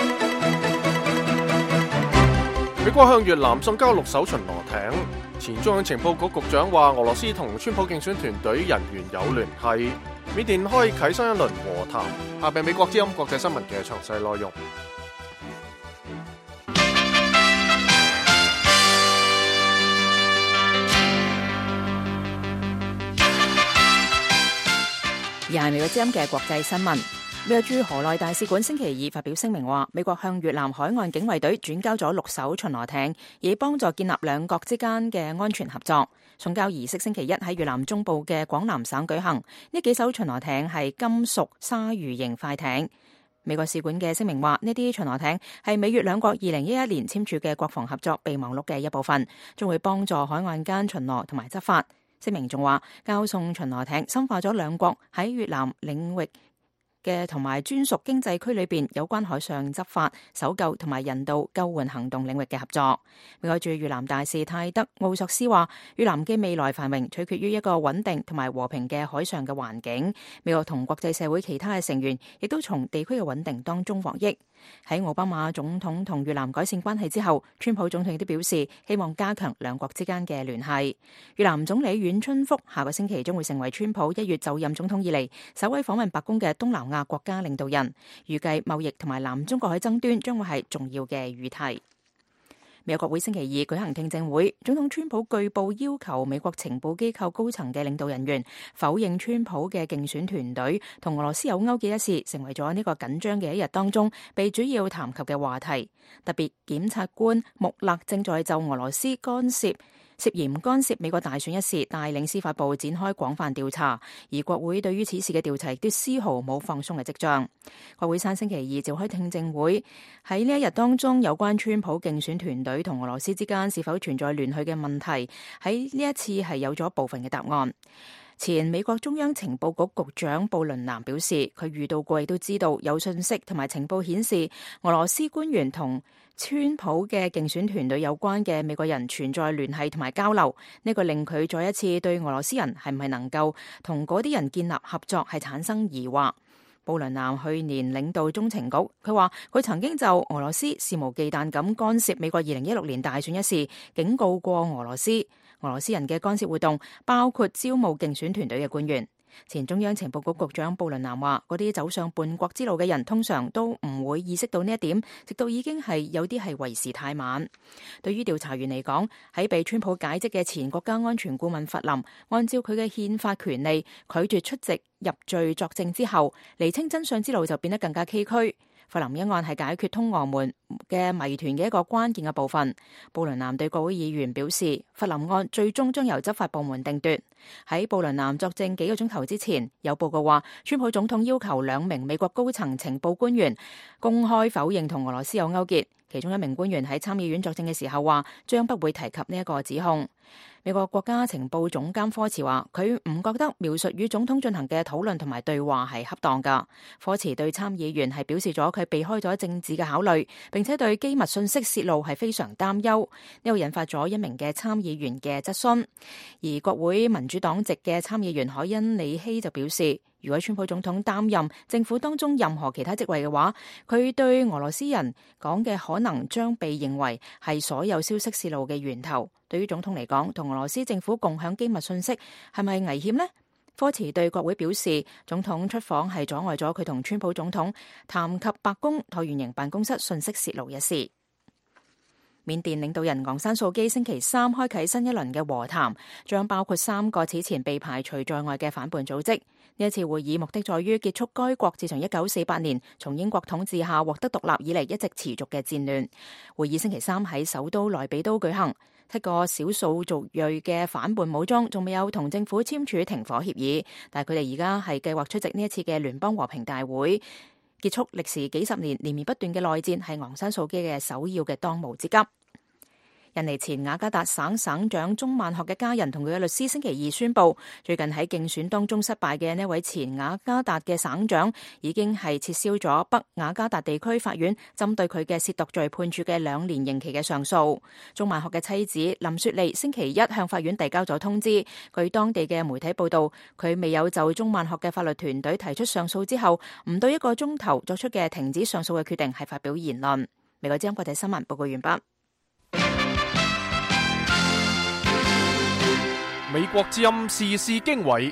美國向越南送交6艘巡邏艇。前中央情報局局長話，俄羅斯同川普競選團隊人員有聯繫。緬甸開啟新一輪和談。下邊美國之音國際新聞嘅詳細內容。而係美國之音嘅國際新聞。美國駐河內大使館星期二發表聲明話，美國向越南海岸警衛隊轉交咗6艘巡邏艇，以幫助建立兩國之間嘅安全合作。送交儀式星期一喺越南中部嘅廣南省舉行。呢幾艘巡邏艇係金屬鯊魚型快艇。美國使館嘅聲明話，呢啲巡邏艇係美越兩國2011年簽署嘅國防合作備忘錄嘅一部分，將會幫助海岸間巡邏同埋執法。聲明仲話，交送巡邏艇深化咗兩國喺越南領域嘅同埋專屬經濟區裏邊有關海上執法、搜救同埋人道救援行動領域嘅合作。美國駐越南大使泰德奧索斯話，越南嘅未來繁榮取決於一個穩定同埋和平嘅海上嘅環境。美國同國際社會其他嘅成員亦都從地區嘅穩定當中獲益。喺奧巴馬總統同越南改善關係之後，川普總統亦都表示希望加強兩國之間嘅聯繫。越南總理阮春福下個星期將會成為川普1月就任總統以嚟首位訪問白宮嘅東南亞國家領導人。預計貿易同埋南中國海爭端將會係重要嘅議題。美國國會星期二舉行聽證會，總統川普據報要求美國情報機構高層嘅領導人員否認川普嘅競選團隊同俄羅斯有勾結一事，成為咗呢個緊張嘅一日當中被主要談及嘅話題。特別檢察官穆勒正在就俄羅斯涉嫌干涉美國大選一事帶領司法部展開廣泛調查，而國會對於此事嘅調查亦都絲毫冇放鬆嘅跡象。國會山星期二召開聽證會，喺呢一日當中，有關川普競選團隊同俄羅斯之間是否存在聯繫嘅問題，喺呢一次係有咗部分嘅答案。前美國中央情報局局長布倫南表示，佢遇到過亦都知道有信息同埋情報顯示俄羅斯官員同川普嘅競選團隊有關嘅美國人存在聯繫同埋交流，呢個令佢再一次對俄羅斯人係唔係能夠同嗰啲人建立合作係產生疑惑。布倫南去年領導中情局，佢話佢曾經就俄羅斯肆無忌憚咁干涉美國2016年大選一事警告過俄羅斯。俄羅斯人嘅干涉活動包括招募競選團隊嘅官員。前中央情報局局長布倫南話，嗰啲走上叛國之路嘅人通常都唔會意識到呢一點，直到已經係有啲係為時太晚。對於調查員嚟講，喺被川普解職嘅前國家安全顧問弗林，按照佢嘅憲法權利拒絕出席入罪作證之後，釐清真相之路就變得更加崎嶇。弗林一案係解決通俄門嘅謎團嘅一個關鍵嘅部分。布倫南對國會議員表示，弗林案最終將由執法部門定奪。喺布倫南作證幾個鐘頭之前，有報告話，川普總統要求2名美國高層情報官員公開否認同俄羅斯有勾結。其中一名官員喺參議院作證嘅時候話，將不會提及呢一個指控。美國國家情報總監科茨話，佢唔覺得描述與總統進行嘅討論同埋對話係恰當㗎。科茨對參議員係表示咗佢避開咗政治嘅考慮，並且對機密信息泄露係非常擔憂。呢個引發咗一名嘅參議員嘅質詢。而國會民主黨籍嘅參議員海恩里希就表示，如果川普總統擔任政府當中任何其他職位嘅話，佢對俄羅斯人講嘅可能將被認為係所有消息泄露嘅源頭。對於總統嚟講，同俄羅斯政府共享機密信息係咪危險呢？科茨對國會表示，總統出訪係阻礙咗佢同川普總統談及白宮橢圓形辦公室信息泄露一事。緬甸領導人昂山素基星期三開啟新一輪嘅和談，將包括3個此前被排除在外嘅反叛組織。呢一次會議目的在於結束該國自從1948年從英國統治下獲得獨立以嚟一直持續嘅戰亂。會議星期三喺首都萊比都舉行。7個少數族裔嘅反叛武裝仲未有同政府簽署停火協議，但係佢哋而家係計劃出席呢一次嘅聯邦和平大會。結束歷時幾十年連綿不斷嘅內戰係昂山素基嘅首要嘅當務之急。印尼前雅加達省省長宗萬學嘅家人同佢嘅律師星期二宣布，最近喺競選當中失敗嘅呢位前雅加達嘅省長已經係撤銷咗北雅加達地區法院針對佢嘅褻瀆罪判處嘅2年刑期嘅上訴。宗萬學嘅妻子林雪莉星期一向法院遞交咗通知，據當地嘅媒體報道，佢未有就宗萬學嘅法律團隊提出上訴之後，唔到1個鐘頭作出嘅停止上訴嘅決定係發表言論。美國之音國際新聞報告完畢。美國之音時事經緯，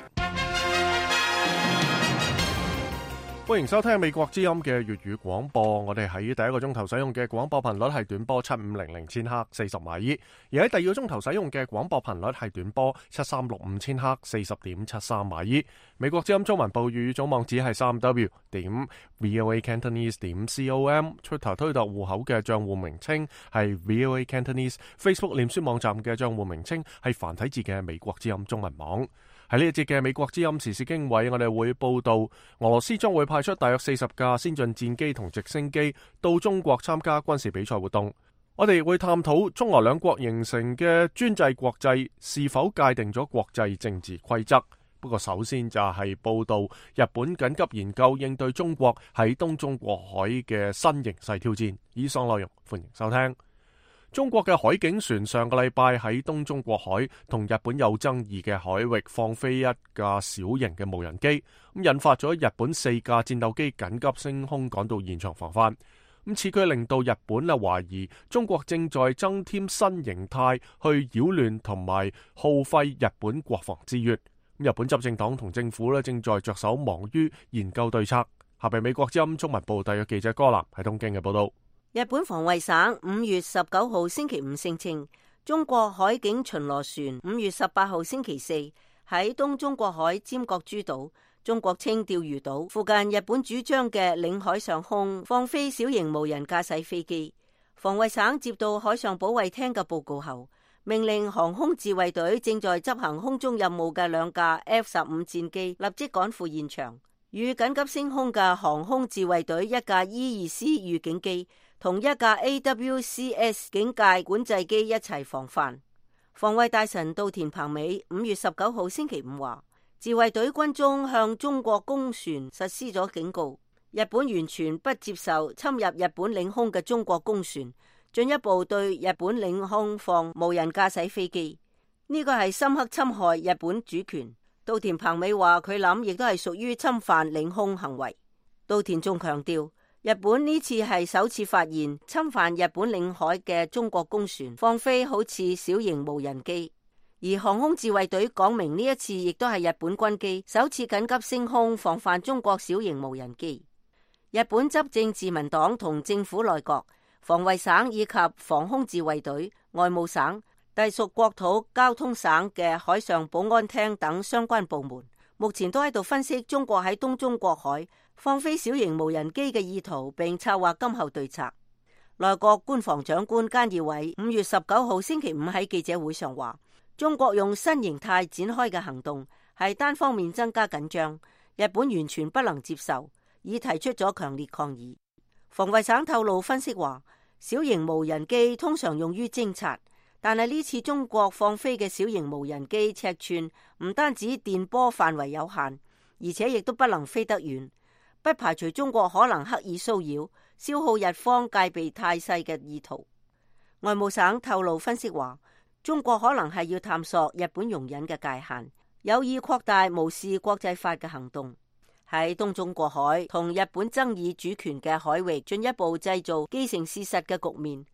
歡迎收聽美國之音嘅粵語廣播。我哋喺第一個鐘頭使用嘅廣播頻率係短波7500千赫40米，而喺第二個鐘頭使用嘅廣播頻率係短波7365千赫40.73米。美國之音中文部粵語總網址係3w.voacantonese.com， Twitter 推特戶口嘅賬戶名稱係 VOA Cantonese， Facebook 臉書網站嘅賬戶名稱係繁體字嘅美國之音中文網。喺呢一節嘅美國之音時事經緯，我哋會報道俄羅斯將會派出大約40架先進戰機同直升機到中國參加軍事比賽活動。我哋會探討中俄兩國形成嘅專制國際是否界定咗國際政治規則。不過首先就係報道日本緊急研究應對中國喺東中國海嘅新形勢挑戰。以上內容歡迎收聽。中國嘅海警船上個禮拜喺東中國海同日本有爭議嘅海域放飛一架小型嘅無人機，咁引發咗日本4架戰鬥機緊急升空趕到現場防範。咁此舉令到日本懷疑中國正在增添新形態去擾亂同埋耗費日本國防資源。日本執政黨同政府正在着手忙於研究對策。下邊美國之音中文部特約記者柯南喺東京嘅報道。日本防衛省5月19號星期五聲稱，中國海警巡邏船5月18號星期四喺東中國海尖閣諸島（中國稱釣魚島）附近日本主張嘅領海上空放飛小型無人駕駛飛機。防衛省接到海上保衛廳嘅報告後，命令航空自衛隊正在執行空中任務嘅2架 F-15 戰機立即趕赴現場，與緊急升空嘅航空自衛隊1架 E-2C 預警機同1架 AWCS 警戒管制機一齊防範。防衛大臣稻田朋美5月19號星期五話，自衛隊軍中向中國公船實施咗警告，日本完全不接受侵入日本領空嘅中國公船進一步對日本領空放無人駕駛飛機，呢個係深刻侵害日本主權。稻田朋美話佢諗亦都係屬於侵犯領空行為。稻田仲強調，日本呢次係首次發現侵犯日本領海嘅中國公船放飛好似小型無人機，而航空自衛隊講明呢一次亦都係日本軍機首次緊急升空防範中國小型無人機。日本執政自民黨同政府內閣、防衛省以及防空自衛隊、外務省、隸屬國土交通省嘅海上保安廳等相關部門，目前都喺度分析中國喺東中國海放飛小型無人機嘅意圖，並策劃今後對策。內閣官房長官菅義偉5月19號星期五喺記者會上話，中國用新形態展開嘅行動係單方面增加緊張，日本完全不能接受，已提出咗強烈抗議。防衛省透露分析話，小型無人機通常用於偵察，但係呢次中國放飛嘅小型無人機尺寸唔單止電波範圍有限，而且亦都不能飛得遠，不排除中國可能刻意騷擾、消耗日方戒備態勢嘅意圖。外務省透露分析話，中國可能係要探索日本容忍嘅界限，有意擴大無視國際法嘅行動，喺東中國海同日本爭議主權嘅海域進一步製造既成事實嘅局面。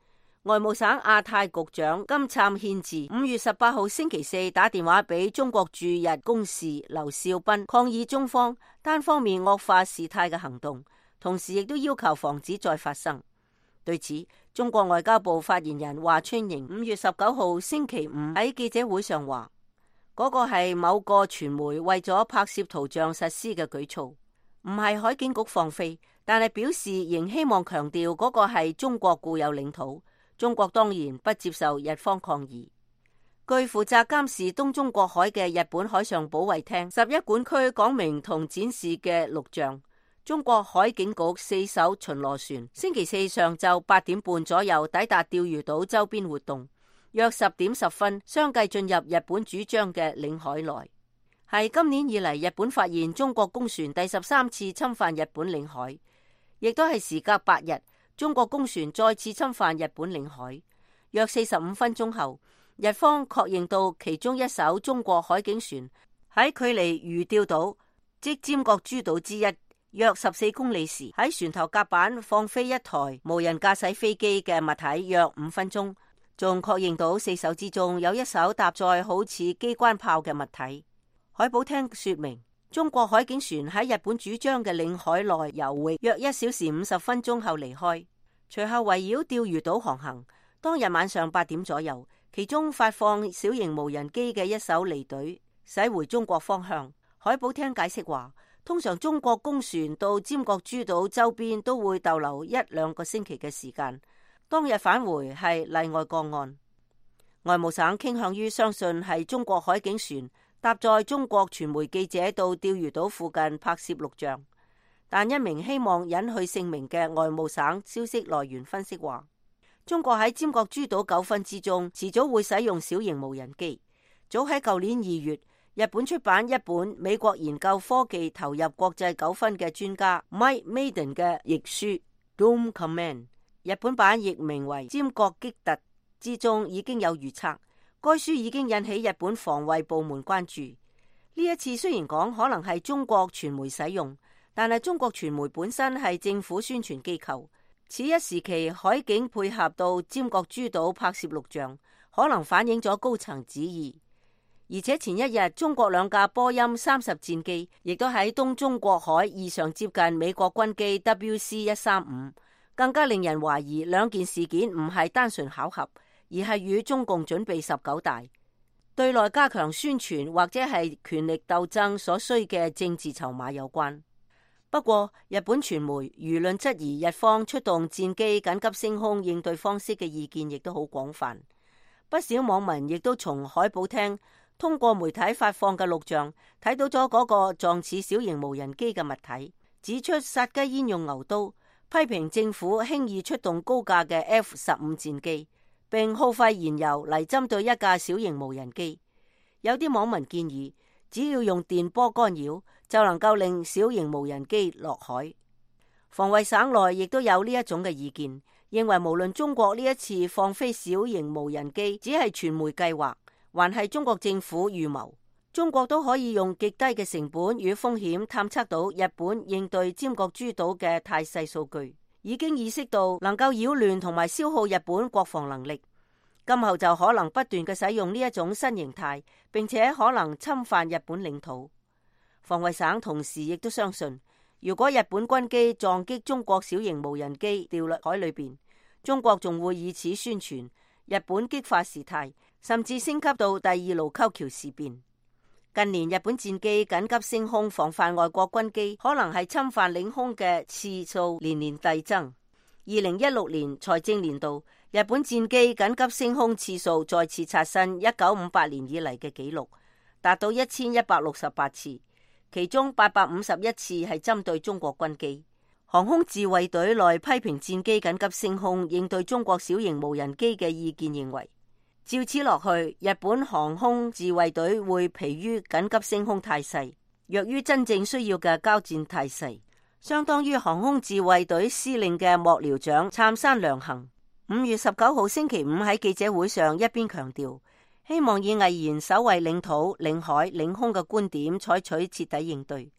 外務省亞太局長金燦憲治5月18號星期四打電話俾中國駐日公使劉少斌，抗議中方單方面惡化事態嘅行動，同時亦都要求防止再發生。對此，中國外交部發言人華春瑩5月19號星期五喺記者會上話，嗰個係某個傳媒為咗拍攝圖像實施嘅舉措，唔係海警局放飛，但係表示仍希望強調嗰個係中國固有領土，中國當然不接受日方抗議。據負責監視東中國海嘅日本海上保衛廳11管區講明同展示嘅錄像，中國海警局4艘巡邏船星期四上晝8點半左右抵達釣魚島周邊活動，約10點10分相繼進入日本主張嘅領海內。係今年以嚟日本發現中國公船第13次侵犯日本領海，亦都係時隔8日，中國公船再次侵犯日本領海。約45分鐘後，日方確認到其中一艘中國海警船喺距離魚釣島即尖閣諸島之一約14公里時，喺船頭甲板放飛一台無人駕駛飛機嘅物體約5分鐘，仲確認到4艘之中有一艘搭載好似機關炮嘅物體。海保廳說明，中國海警船喺日本主張嘅領海內游弋約1小時50分鐘後離開，隨後圍繞釣魚島航行。當日晚上8點左右，其中發放小型無人機嘅一艘離隊駛回中國方向。海保廳解釋話，通常中國公船到尖閣諸島周邊都會逗留1-2個星期嘅時間，當日返回係例外個案。外務省傾向於相信係中國海警船搭載中國傳媒記者到釣魚島附近拍攝錄像，但一名希望隱去姓名嘅外務省消息來源分析話，中國喺尖閣諸島糾紛之中遲早會使用小型無人機。早喺舊年2月，日本出版一本美國研究科技投入國際糾紛嘅專家 Mike Maiden 嘅譯書 Dome Command， 日本版譯名為尖閣擊突，之中已經有預測。該書已經引起日本防衛部門關注。呢一次雖然講可能係中國傳媒使用，但係中國傳媒本身係政府宣傳機構。此一時期海警配合到尖閣諸島拍攝錄像，可能反映咗高層旨意。而且前一日中國2架波音30戰機亦都喺東中國海異常接近美國軍機 WC-135，更加令人懷疑兩件事件唔係單純巧合，而係與中共準備19大對內加強宣傳或者係權力鬥爭所需嘅政治籌碼有關。不過日本傳媒輿論質疑日方出動戰機緊急升空應對方式嘅意見亦都好廣泛，不少網民亦都從海保廳通過媒體發放嘅錄像睇到咗嗰個狀似小型無人機嘅物體，指出殺雞焉用牛刀，批評政府輕易出動高價嘅 F-15戰機，並耗費燃油嚟針對一架小型無人機。有啲網民建議，只要用電波干擾就能夠令小型無人機落海。防衛省內亦都有呢一種嘅意見，認為無論中國呢一次放飛小型無人機只係傳媒計劃，還係中國政府預謀，中國都可以用極低嘅成本與風險探測到日本應對尖閣諸島嘅態勢數據，已經意識到能夠擾亂同埋消耗日本國防能力。今後就可能不斷嘅使用呢一種新形態，並且可能侵犯日本領土。防衛省同時亦都相信，如果日本軍機撞擊中國小型無人機掉落海裏邊，中國仲會以此宣傳日本激化事態，甚至升級到第2盧溝橋事變。近年日本戰機緊急升空防範外國軍機可能係侵犯領空嘅次數年年遞增。2016年財政年度，日本戰機緊急升空次數再次刷新1958年以嚟嘅紀錄，達到1168次，其中851次係針對中國軍機。航空自衛隊內批評戰機緊急升空應對中國小型無人機嘅意見認為，照此落去，日本航空自衛隊會疲於緊急升空態勢，弱於真正需要嘅交戰態勢。相當於航空自衛隊司令嘅幕僚長杉山良行5月19號星期五喺記者會上一邊強調，希望以毅然守衛領土、領海、領空嘅觀點採取徹底應對。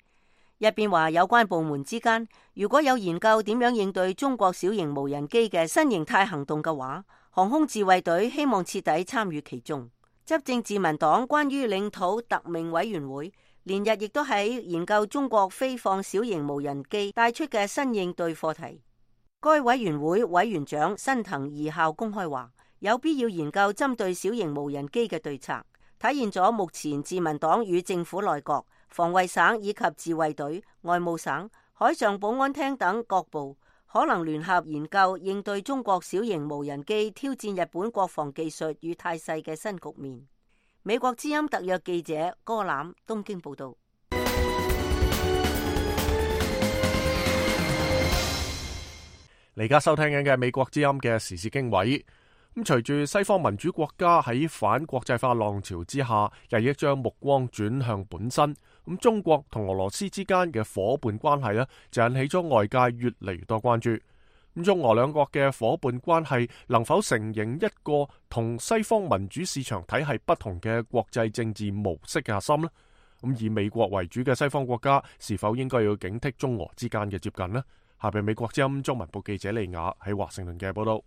一邊話有關部門之間如果有研究點樣應對中國小型無人機嘅新形態行動嘅話，航空自衛隊希望徹底參與其中。執政自民黨關於領土特命委員會連日亦都喺研究中國飛放小型無人機帶出嘅新應對課題。該委員會委員長新藤義孝公開話，有必要研究針對小型無人機嘅對策，體現咗目前自民黨與政府內閣、防衛省以及自衛隊、外務省、海上保安廳等各部可能聯合研究應對中國小型無人機挑戰日本國防技術與態勢嘅新局面。美國之音特約記者柯欖東京報道。你而家收聽緊嘅美國之音嘅時事經緯。咁隨住西方民主國家喺反國際化浪潮之下，日益將目光轉向本身。咁中國同俄羅斯之間嘅伙伴關係呢，就引起咗外界越嚟越多關注。咁中俄兩國嘅伙伴關係能否承認一個同西方民主市場體系不同嘅國際政治模式嘅核心呢？咁以美國為主嘅西方國家是否應該要警惕中俄之間嘅接近呢？下邊美國之音中文部記者利亞喺華盛頓嘅報道。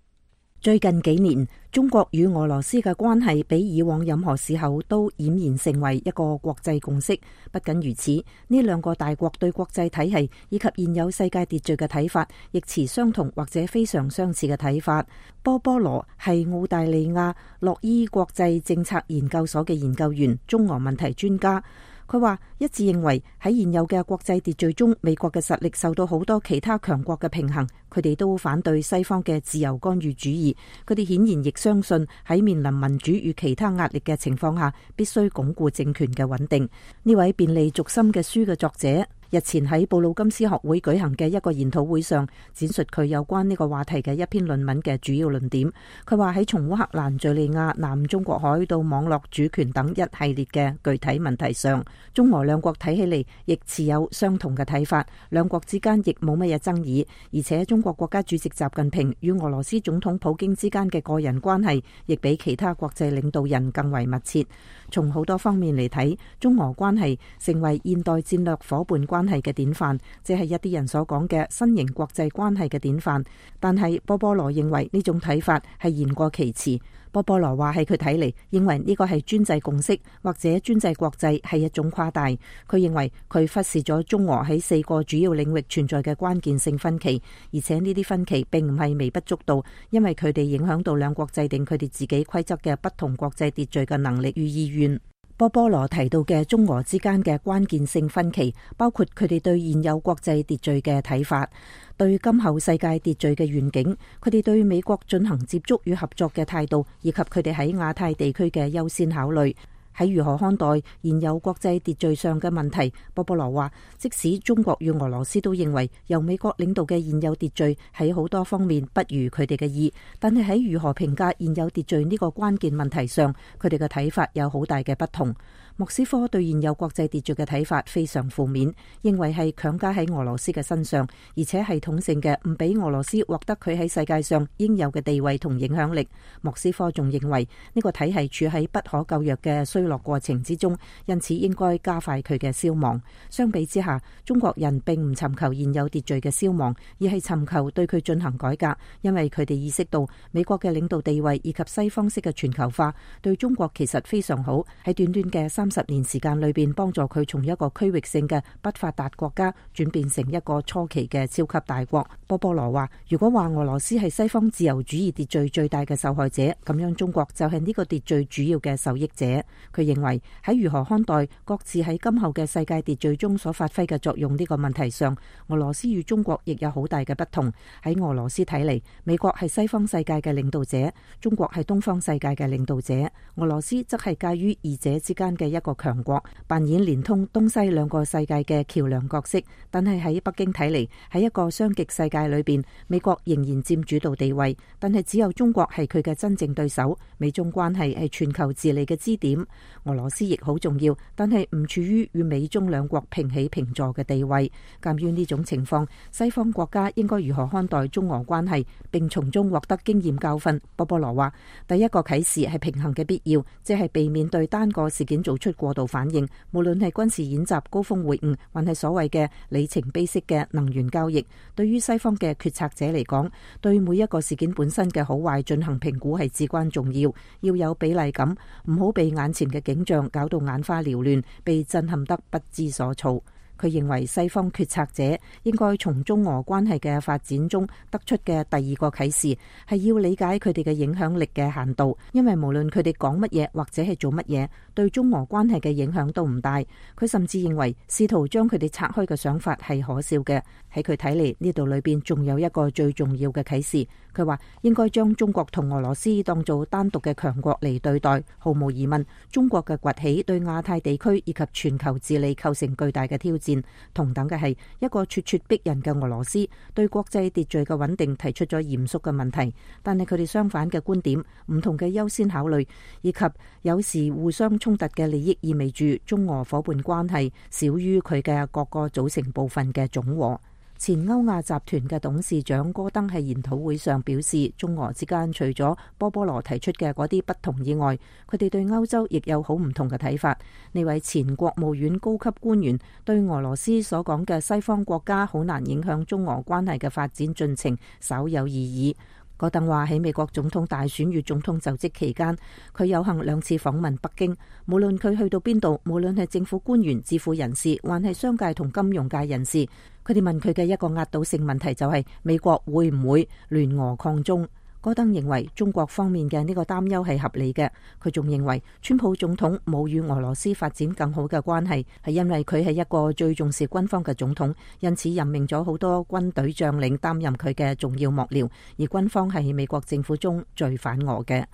最近幾年，中國與俄羅斯嘅關係比以往任何時候都儼然成為一個國際共識。不僅如此，呢兩個大國對國際體系以及現有世界秩序嘅睇法，亦持相同或者非常相似嘅睇法。波波羅係澳大利亞洛伊國際政策研究所嘅研究員，中俄問題專家。佢話一致認為喺現有嘅國際秩序中，美國嘅實力受到好多其他強國嘅平衡。佢哋都反對西方嘅自由干預主義。佢哋顯然亦相信喺面臨民主與其他壓力嘅情況下，必須鞏固政權嘅穩定。呢位便利軸心嘅書嘅作者日前喺布魯金斯學會舉行嘅一個研討會上，展述佢有關呢個話題嘅一篇論文嘅主要論點。佢話喺從烏克蘭、敘利亞、南中國海到網絡主權等一系列嘅具體問題上，中俄兩國睇起嚟亦持有相同嘅睇法，兩國之間亦冇乜嘢爭議。而且中國國家主席習近平與俄羅斯總統普京之間嘅個人關係，亦比其他國際領導人更為密切。從好多方面嚟睇，中俄關係成為現代戰略夥伴關係嘅典範，即係一啲人所講嘅新型國際關係嘅典範。但係波波羅認為呢種睇法係言過其詞。波波羅話喺佢睇嚟，認為呢個係專制共識或者專制國際係一種誇大。佢認為佢忽視咗中俄喺4個主要領域存在嘅關鍵性分歧，而且呢啲分歧並唔係微不足道，因為佢哋影響到兩國制定佢哋自己規則嘅不同國際秩序嘅能力與意願。波波羅提到嘅中俄之間嘅關鍵性分歧，包括佢哋對現有國際秩序嘅睇法，對今後世界秩序嘅願景，佢哋對美國進行接觸與合作嘅態度，以及佢哋喺亞太地區嘅優先考慮。喺如何看待現有國際秩序上嘅問題，波波羅話，即使中國與俄羅斯都認為由美國領導嘅現有秩序喺好多方面不如佢哋嘅意，但係喺如何評價現有秩序呢個關鍵問題上，佢哋嘅睇法有好大嘅不同。莫斯科對現有國際秩序嘅睇法非常負面，認為係強加喺俄羅斯嘅身上，而且系統性嘅唔俾俄羅斯獲得佢喺世界上應有嘅地位同影響力。莫斯科仲認為呢個體系處喺不可救藥嘅衰落過程之中，因此應該加快佢嘅消亡。相比之下，中國人並唔尋求現有秩序嘅消亡，而係尋求對佢進行改革，因為佢哋意識到美國嘅領導地位以及西方式嘅全球化對中國其實非常好，喺短短嘅30年時間裏邊，幫助佢從一個區域性嘅不發達國家轉變成一個初期嘅超級大國。波波羅話，如果話俄羅斯係西方自由主義秩序最大嘅受害者，咁樣中國就係呢個秩序主要嘅受益者。佢認為喺如何看待各自喺今後嘅世界秩序中所發揮嘅作用呢個問題上，俄羅斯與中國亦有好大嘅不同。喺俄羅斯睇嚟，美國係西方世界嘅領導者，中國係東方世界嘅領導者，俄羅斯則係介於二者之間嘅一個強國，扮演連通東西兩個世界嘅橋樑角色。但係喺北京睇嚟，喺一個雙極世界裏邊，美國仍然佔主導地位，但係只有中國係佢嘅真正對手。美中關係係全球治理嘅支點，俄羅斯亦好重要，但係唔處於與美中兩國平起平坐嘅地位。鑒於呢種情況，西方國家應該如何看待中俄關係，並從中獲得經驗教訓？波波羅話，第一個啟示係平衡嘅必要，即係避免對單個事件做出過度反應，無論係軍事演習、高峰會晤，還係所謂嘅里程碑式嘅能源交易。對於西方嘅決策者嚟講，對每一個事件本身嘅好壞進行評估係至關重要，要有比例感，唔好被眼前嘅景象搞到眼花繚亂，被震撼得不知所措。佢認為西方決策者應該從中俄關係嘅發展中得出嘅第二個啟示係要理解佢哋嘅影響力嘅限度，因為無論佢哋講乜嘢或者係做乜嘢，對中俄關係嘅影響都唔大。佢甚至認為試圖將佢哋拆開嘅想法係可笑嘅。喺佢睇嚟，呢度裏邊仲有一個最重要嘅啟示。佢話應該將中國同俄羅斯當做單獨嘅強國嚟對待。毫無疑問，中國嘅崛起對亞太地區以及全球治理構成巨大嘅挑戰。同等嘅係一個咄咄逼人嘅俄羅斯對國際秩序嘅穩定提出咗嚴肅嘅問題，但係佢哋相反嘅觀點、唔同嘅優先考慮以及有時互相衝突嘅利益，意味住中俄夥伴關係少於佢嘅各個組成部分嘅總和。前歐亞集團嘅董事長戈登喺研討會上表示，中俄之間除咗波波羅提出嘅嗰啲不同以外，佢哋對歐洲亦有好唔同嘅睇法。呢位前國務院高級官員對俄羅斯所講嘅西方國家好難影響中俄關係嘅發展進程稍有異議。戈登話喺美國總統大選與總統就職期間，佢有幸2次訪問北京。無論佢去到邊度，無論係政府官員、智庫人士，還係商界同金融界人士，佢哋問佢嘅一個壓倒性問題就係美國會唔會聯俄抗中。戈登認為中國方面嘅呢個擔憂係合理嘅。佢仲認為川普總統冇與俄羅斯發展更好嘅關係，係因為佢係一個最重視軍方嘅總統，因此任命咗好多軍隊將領擔任佢嘅重要幕僚，而軍方係美國政府中最反俄嘅。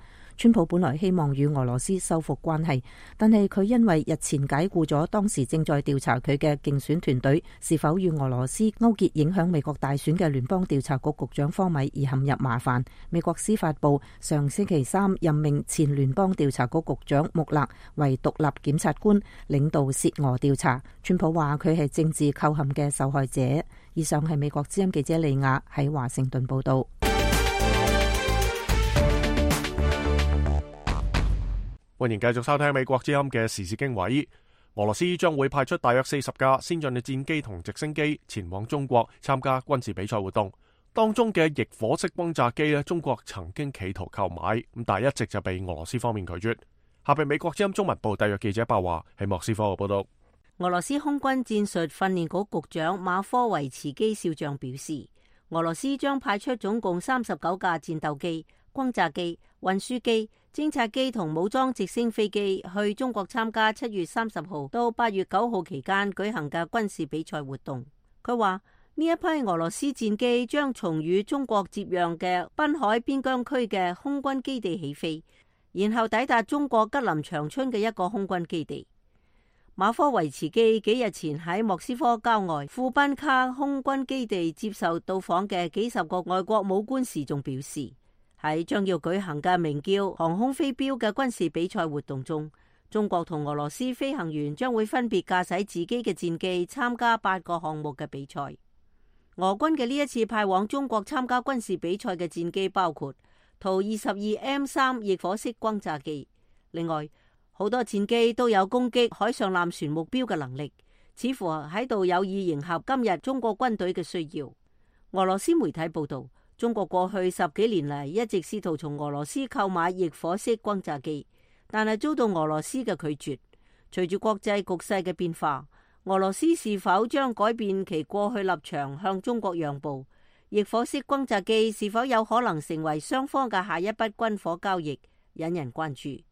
川普本來希望與俄羅斯修復關係，但係佢因為日前解僱咗當時正在調查佢嘅競選團隊是否與俄羅斯勾結影響美國大選嘅聯邦調查局局長科米而陷入麻煩。美國司法部上星期3任命前聯邦調查局局長穆勒為獨立檢察官，領導涉俄調查。川普話佢係政治構陷嘅受害者。以上係美國之音記者利亞喺華盛頓報道。歡迎繼續收聽美國之音嘅時事經緯。俄羅斯將會派出大約40架先進嘅戰機同直升機前往中國參加軍事比賽活動。當中嘅翼火式轟炸機呢，中國曾經企圖購買，咁但係一直就被俄羅斯方面拒絕。下邊美國之音中文部特約記者白華喺莫斯科嘅報道。俄羅斯空軍戰術訓練局局長馬科維茨基少將表示，俄羅斯將派出總共39架戰鬥機、轟炸機、運輸機、偵察機同武裝直升飛機去中國參加7月30號到8月9號期間舉行嘅軍事比賽活動。佢話呢一批俄羅斯戰機將從與中國接壤嘅濱海邊疆區嘅空軍基地起飛，然後抵達中國吉林長春嘅一個空軍基地。馬科維茨基幾日前喺莫斯科郊外庫賓卡空軍基地接受到訪嘅幾十個外國武官時，仲表示喺將要舉行嘅名叫航空飛鏢嘅軍事比賽活動中，中國同俄羅斯飛行員將會分別駕駛自己嘅戰機參加8個項目嘅比賽。俄軍嘅呢一次派往中國參加軍事比賽嘅戰機包括圖 22M3 翼火式轟炸機，另外好多戰機都有攻擊海上艦船目標嘅能力，似乎喺度有意迎合今日中國軍隊嘅需要。俄羅斯媒體報道，中國過去10幾年嚟一直試圖從俄羅斯購買翼火式轟炸機，但係遭到俄羅斯嘅拒絕。隨住國際局勢嘅變化，俄羅斯是否將改變其過去立場向中國讓步？翼火式轟炸機是否有可能成為雙方嘅下一筆軍火交易，引人關注。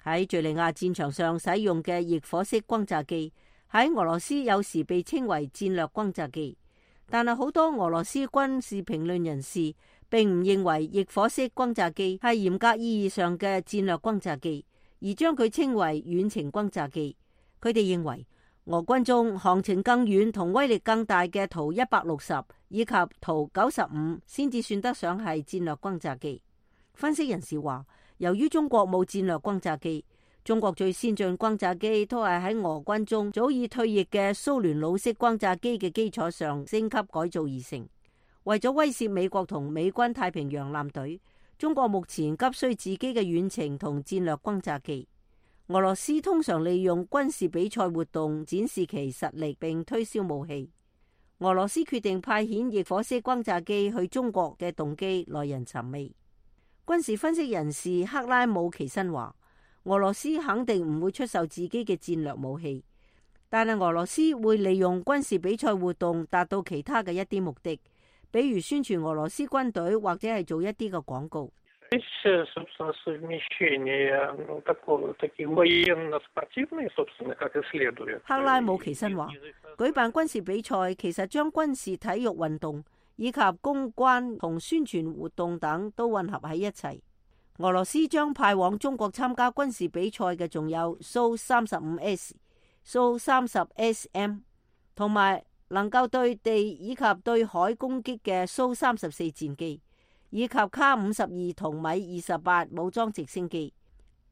喺敘利亞戰場上使用嘅翼火式轟炸機喺俄羅斯有時被稱為戰略轟炸機，但係好多俄羅斯軍事評論人士並唔認為翼火式轟炸機係嚴格意義上嘅戰略轟炸機，而將佢稱為遠程轟炸機。佢哋認為俄軍中航程更遠同威力更大嘅圖160以及圖95先至算得上係戰略轟炸機。分析人士話，由於中國冇戰略轟炸機，中國最先進轟炸機都係喺俄軍中早已退役嘅蘇聯老式轟炸機嘅基礎上升級改造而成。為咗威懾美國同美軍太平洋艦隊，中國目前急需自己嘅遠程同戰略轟炸機。俄羅斯通常利用軍事比賽活動展示其實力並推銷武器。俄羅斯決定派遣翼火式轟炸機去中國嘅動機耐人尋味。軍事分析人士克拉姆奇申話，俄羅斯肯定唔會出售自己嘅戰略武器，但係俄羅斯會利用軍事比賽活動達到其他嘅一啲目的，比如宣傳俄羅斯軍隊或者係做一啲嘅廣告。克拉姆奇申話，舉辦軍事比賽其實將軍事體育運動以及公關同宣傳活動等都混合喺一齊。俄羅斯將派往中國參加軍事比賽嘅仲有蘇 35S、蘇 30SM 同埋能夠對地以及對海攻擊嘅蘇34戰機，以及卡52同米28武裝直升機。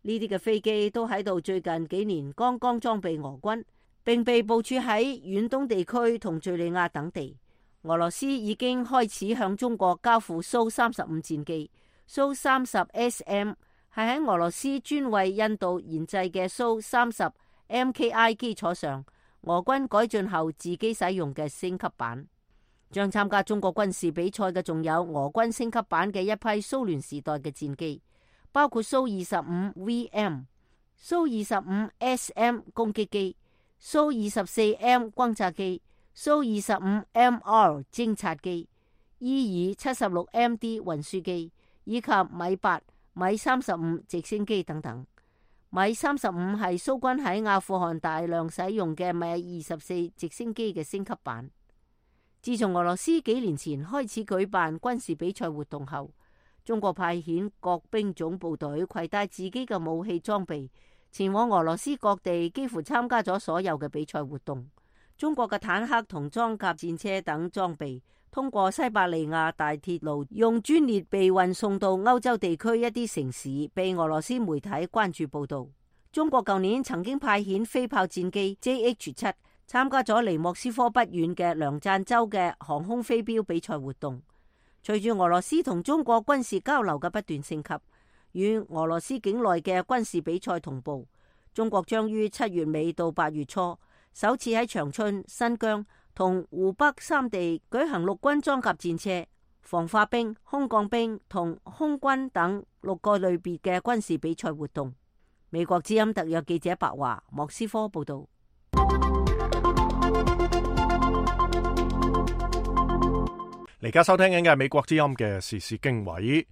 呢啲嘅飛機都喺度最近幾年剛剛裝備俄軍，並被部署喺遠東地區同敘利亞等地。俄羅斯已經開始向中國交付蘇35戰機。蘇 30SM 係喺俄羅斯專為印度研製嘅蘇30 MKI 基礎上，俄軍改進後自己使用嘅升級版。將參加中國軍事比賽嘅仲有俄軍升級版嘅一批蘇聯時代嘅戰機，包括蘇 25VM、蘇 25SM 攻擊機、蘇 24M 轟炸機、蘇 25MR 偵察機、伊爾 76MD 運輸機，以及米8、米35直升機等等。米35係蘇軍喺阿富汗大量使用嘅米24直升機嘅升級版。自從俄羅斯幾年前開始舉辦軍事比賽活動後，中國派遣各兵種部隊攜帶自己嘅武器裝備，前往俄羅斯各地，幾乎參加咗所有嘅比賽活動。中國嘅坦克同裝甲戰車等裝備通過西伯利亞大鐵路用專列被運送到歐洲地區一啲城市，被俄羅斯媒體關注報道。中國舊年曾經派遣飛炮戰機 JH7 參加咗離莫斯科不遠嘅梁贊州嘅航空飛鏢比賽活動。隨住俄羅斯同中國軍事交流嘅不斷升級，與俄羅斯境內嘅軍事比賽同步，中國將於7月尾到8月初首次喺長春、新疆同湖北三地舉行陸軍裝甲戰車、防化兵、空降兵同空軍等6個類別嘅軍事比賽活動。美國之音特約記者白華，莫斯科報道。而家收聽緊嘅係美國之音嘅時事經緯。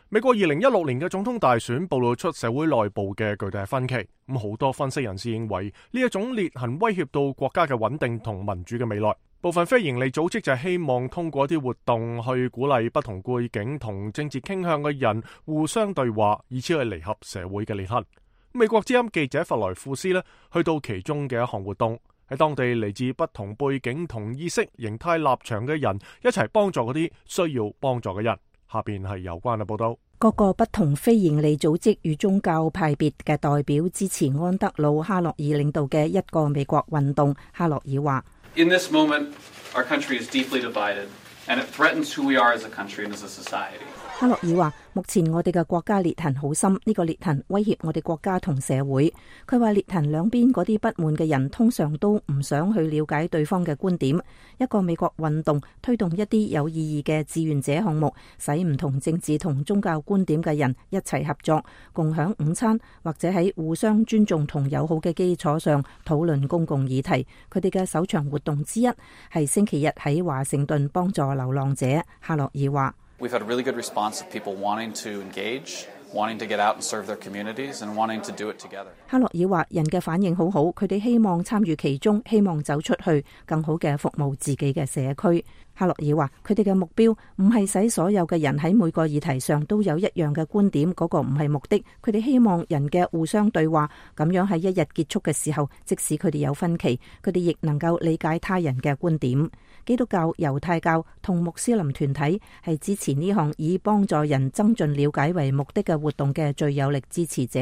美國2016年嘅總統大選暴露出社會內部嘅巨大分歧，咁好多分析人士認為呢一種裂痕威脅到國家嘅穩定同民主嘅未來。部分非營利組織就係希望通過一啲活動去鼓勵不同背景同政治傾向嘅人互相對話，以此去彌合社會嘅裂痕。美國之音記者弗萊庫斯呢去到其中嘅一項活動，喺當地嚟自不同背景同意識形態立場嘅人一齊幫助嗰啲需要幫助嘅人。下邊係有關嘅報道。各個不同非營利組織與宗教派別嘅代表支持安德魯·哈洛爾領導嘅一個美國運動。哈洛爾話：In this moment, our country is deeply divided, and it threatens who we are as a country and as a society. 哈洛爾話：目前我哋嘅國家裂痕好深，呢個裂痕威脅我哋國家同社會。佢話裂痕兩邊嗰啲不滿嘅人通常都唔想去了解對方嘅觀點。一個美國運動推動一啲有意義嘅志願者項目，使唔同政治同宗教觀點嘅人一齊合作，共享午餐，或者喺互相尊重同友好嘅基礎上討論公共議題。佢哋嘅首場活動之一係星期日喺華盛頓幫助流浪者。哈洛爾話：We've had a really good response of people wanting to engage, wanting to get out and serve their communities, and wanting to do it together. 哈洛爾話：人嘅反應好好，佢哋希望參與其中，希望走出去，更好嘅服務自己嘅社區。哈洛爾話：佢哋嘅目標唔係使所有嘅人喺每個議題上都有一樣嘅觀點，嗰個唔係目的。佢哋希望人嘅互相對話，咁樣喺一日結束嘅時候，即使佢哋有分歧，佢哋亦能夠理解他人嘅觀點。基督教、猶太教同穆斯林團體係支持呢項以幫助人增進了解為目的嘅活動嘅最有力支持者。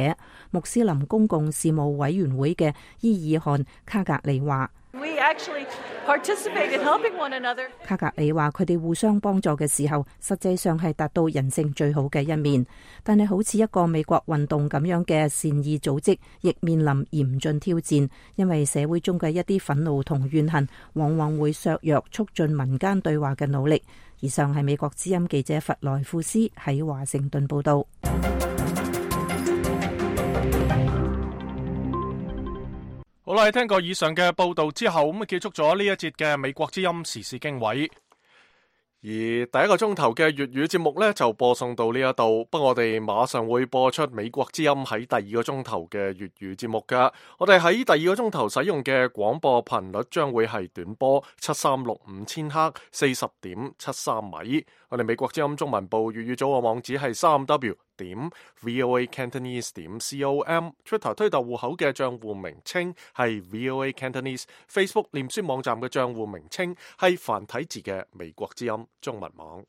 穆斯林公共事務委員會嘅伊爾汗卡格里話：We actually participate in helping one another. 卡格里話：佢哋互相幫助嘅時候，實際上係達到人性最好嘅一面。但係好似一個美國運動咁樣嘅善意組織，亦面臨嚴峻挑戰，因為社會中嘅一啲憤怒同怨恨，往往會削弱促進民間對話嘅努力。以上係美國之音記者弗萊庫斯喺華盛頓報道。好啦，聽過以上嘅報道之後，咁結束咗呢一節嘅美國之音時事經緯。而第一個鐘頭嘅粵語節目呢，就播送到呢一度，不過我哋馬上會播出美國之音喺第二個鐘頭嘅粵語節目噶。我哋喺第二個鐘頭使用嘅廣播頻率將會係短波7365千赫40.73米。我哋美國之音中文部粵語組嘅網址係3w.voacantonese.com，Twitter 推特戶口嘅賬戶名稱係 VOA Cantonese，Facebook 臉書網站嘅賬戶名稱係繁體字嘅美國之音中文網。